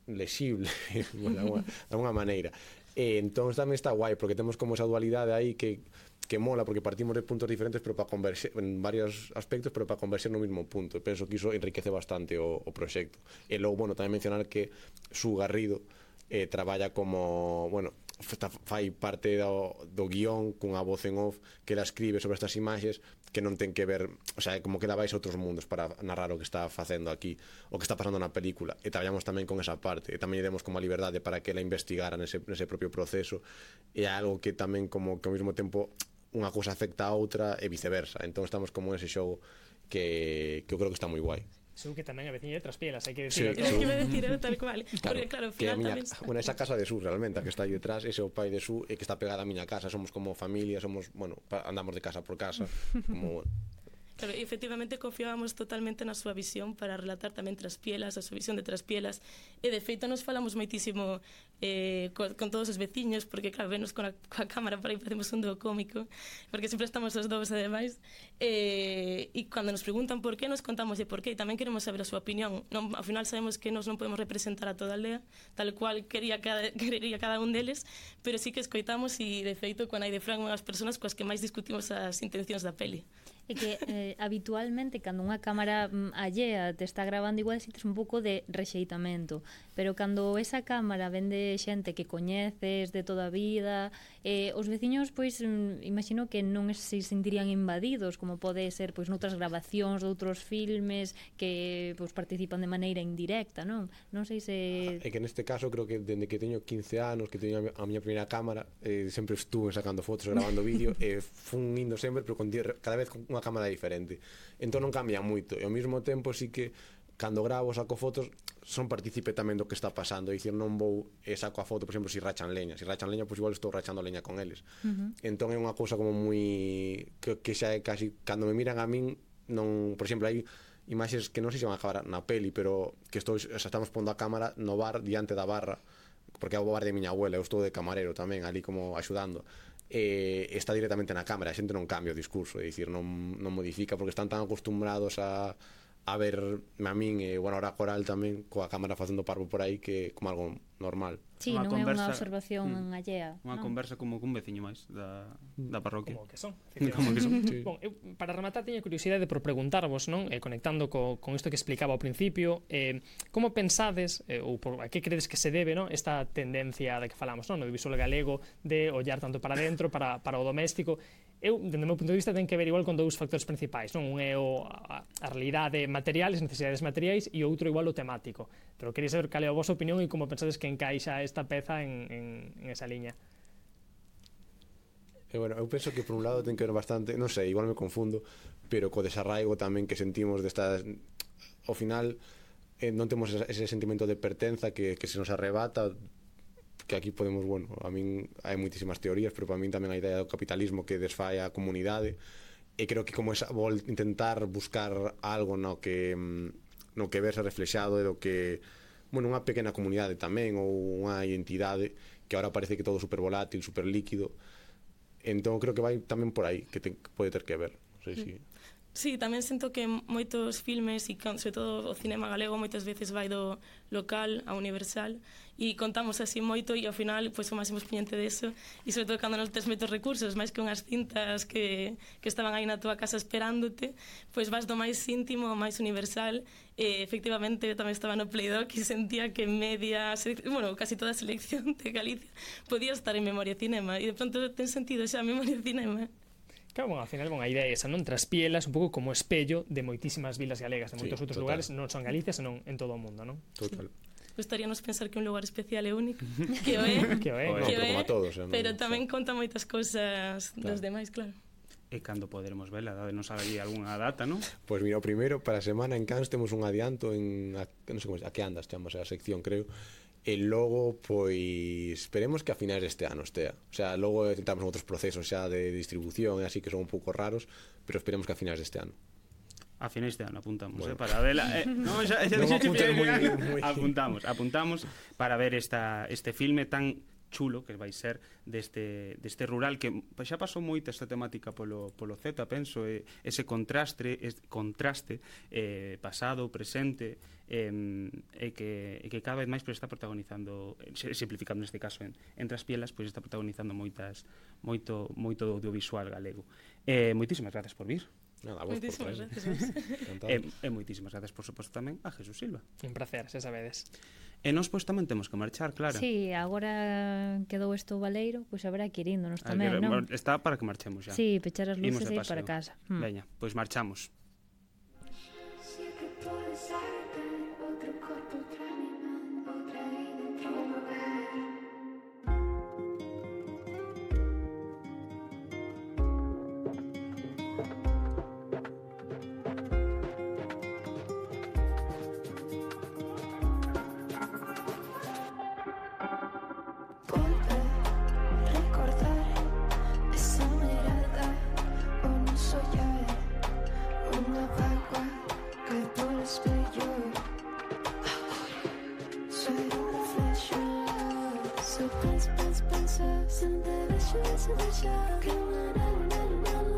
lexible de alguna, de alguna maneira. E entón tamén está guai porque temos como esa dualidade aí que que mola porque partimos de puntos diferentes pero para converxer en varios aspectos, pero para converxer no mismo punto. E penso que iso enriquece bastante o, o proxecto. E logo, bueno, tamén mencionar que Su Garrido eh, traballa como, bueno, fai parte do, do guión cunha voz en off que ela escribe sobre estas imaxes que non ten que ver, o sea, como que ela vais a outros mundos para narrar o que está facendo aquí, o que está pasando na película, e traballamos tamén con esa parte, e tamén lle demos como a liberdade para que ela investigara nese, nese propio proceso, e é algo que tamén como que ao mesmo tempo unha cousa afecta a outra e viceversa. Entón estamos como ese xogo que, que eu creo que está moi guai. Su que tamén é veciña de Traspielas, hai que decir. Sí, claro. Que me decir, era tal cual. Claro, porque claro, ao final miña, tamén... Bueno, esa casa de Su realmente, a que está aí detrás, ese é o pai de Su, e que está pegada a miña casa, somos como familia, somos, bueno, andamos de casa por casa, como, bueno. Claro, efectivamente confiábamos totalmente na súa visión para relatar tamén Traspielas, a súa visión de Traspielas, e de feito nos falamos moitísimo eh, con, con todos os veciños, porque claro, venos con a, coa cámara para aí facemos un dúo cómico, porque sempre estamos os dous ademais, eh, e cando nos preguntan por qué, nos contamos de por qué, e tamén queremos saber a súa opinión. Non, ao final sabemos que nos non podemos representar a toda a aldea, tal cual quería cada, querería cada un deles, pero sí que escoitamos e de feito con hai de Fran unhas persoas coas que máis discutimos as intencións da peli. É que eh, habitualmente cando unha cámara mm, allea te está grabando igual sientes un pouco de rexeitamento, pero cando esa cámara vende xente que coñeces de toda a vida, eh, os veciños pois mm, imagino que non se sentirían invadidos como pode ser pois noutras grabacións de outros filmes que pois participan de maneira indirecta, non? Non sei se... É que neste caso creo que dende que teño quince anos, que teño a miña primeira cámara, eh, sempre estuve sacando fotos, grabando vídeo, e eh, fun indo sempre, pero con, cada vez con unha cámara diferente. Entón non cambia moito. E ao mesmo tempo sí que cando gravo, saco fotos, son partícipe tamén do que está pasando. É dicir, non vou e saco a foto, por exemplo, se rachan leña. Se rachan leña, pois igual estou rachando leña con eles. Uh-huh. Entón é unha cousa como moi... Que, que xa é casi... Cando me miran a min, non... Por exemplo, hai imaxes que non sei se van a acabar na peli, pero que estou, xa estamos pondo a cámara no bar, diante da barra, porque é o bar de miña abuela, eu estou de camarero tamén, ali como axudando. E está directamente na cámara, a xente non cambia o discurso, é dicir, non, non modifica porque están tan acostumbrados a, a ver a min e, bueno, ahora a Coral tamén coa cámara facendo parvo por aí que como algo normal. Sí, non é unha observación mm, allea. Unha non? Conversa como cun veciño máis da, da parroquia. Como que son. Como que son. Sí. Bon, eu, para rematar, teño curiosidade por preguntarvos, non? Eh, conectando co, con isto que explicaba ao principio, eh, como pensades, eh, ou por a que credes que se debe, non? Esta tendencia da que falamos, non? No audiovisual galego, de ollar tanto para dentro, para, para o doméstico. Eu, dende o meu punto de vista, ten que ver igual con dous factores principais, non? Un é o, a, a realidade material, as necesidades materiais, e outro igual o temático. Pero quería saber cal é a vosa opinión e como pensades que encaixa esta peza en, en, en esa liña. E, bueno, eu penso que por un lado ten que ver bastante, non sei, igual me confundo, pero co desarraigo tamén que sentimos destas... Ao final, eh, non temos ese sentimento de pertenza que, que se nos arrebata, que aquí podemos, bueno, a min hai moitísimas teorías, pero para min tamén a idea do capitalismo que desfai a comunidade, e creo que como esa, vou intentar buscar algo no que no que verse reflexado e do que, bueno, unha pequena comunidade tamén ou unha identidade que ahora parece que todo super volátil, super líquido. Entón creo que vai tamén por aí, que, te, que pode ter que ver. Non sei se... Sí, tamén sinto que moitos filmes e sobre todo o cinema galego moitas veces vai do local a universal e contamos así moito e ao final pois, o máximo exponente deso e sobre todo cando non tes moitos recursos máis que unhas cintas que, que estaban aí na tua casa esperándote pois vas do máis íntimo ao máis universal e efectivamente tamén estaba no Playdoc e sentía que media bueno, casi toda a selección de Galicia podía estar en Memoria Cinema e de pronto ten sentido xa Memoria Cinema. Claro, bueno, ao final, bon, a idea é esa, non? Traspielas un pouco como espello de moitísimas vilas galegas, de moitos sí, outros total. lugares, non son Galicia, senón en todo o mundo, non? Total. Gustaríanos pensar que un lugar especial é único, que o é, que o é, que o é, todos, non? pero tamén conta moitas cousas claro. dos demais, claro. E cando poderemos vela, danos aí algunha data, non? Pois pues mira, o primeiro, para a semana en Cans temos un adianto en, a, non sei como é, a que andas, chamamos a sección, creo. E logo, pois, esperemos que a finais deste ano estea. O sea, logo tentamos outros procesos xa de distribución e así que son un pouco raros, pero esperemos que a finais deste ano. A finais deste ano apuntamos, bueno. eh, para verla. Eh, no, xa, xa, non xa, apuntes moi, moi... Apuntamos, apuntamos para ver esta, este filme tan chulo que vai ser deste, deste rural que xa pasou moita esta temática polo, polo Z, penso, e, ese contraste, es, contraste eh, pasado, presente eh, e, que, e que cada vez máis pues, está protagonizando, simplificando neste caso en, en Traspielas, pois pues, está protagonizando moitas moito, moito audiovisual galego. Eh, moitísimas gracias por vir. Nada, vos moitísimas por gracias. e, e moitísimas gracias, por suposto, tamén a Jesús Silva. Un placer, xa sabedes. E nós pois tamén temos que marchar, claro. Sí, agora quedou isto baleiro, pois haberá que ir índonos tamén, que, non? Está para que marchemos xa. Sí, pechar as luces e ir para casa. Hmm. Veña, pois marchamos. Pensa, pensa, pensa, sem te deixar, sem deixar que não, não, não, não.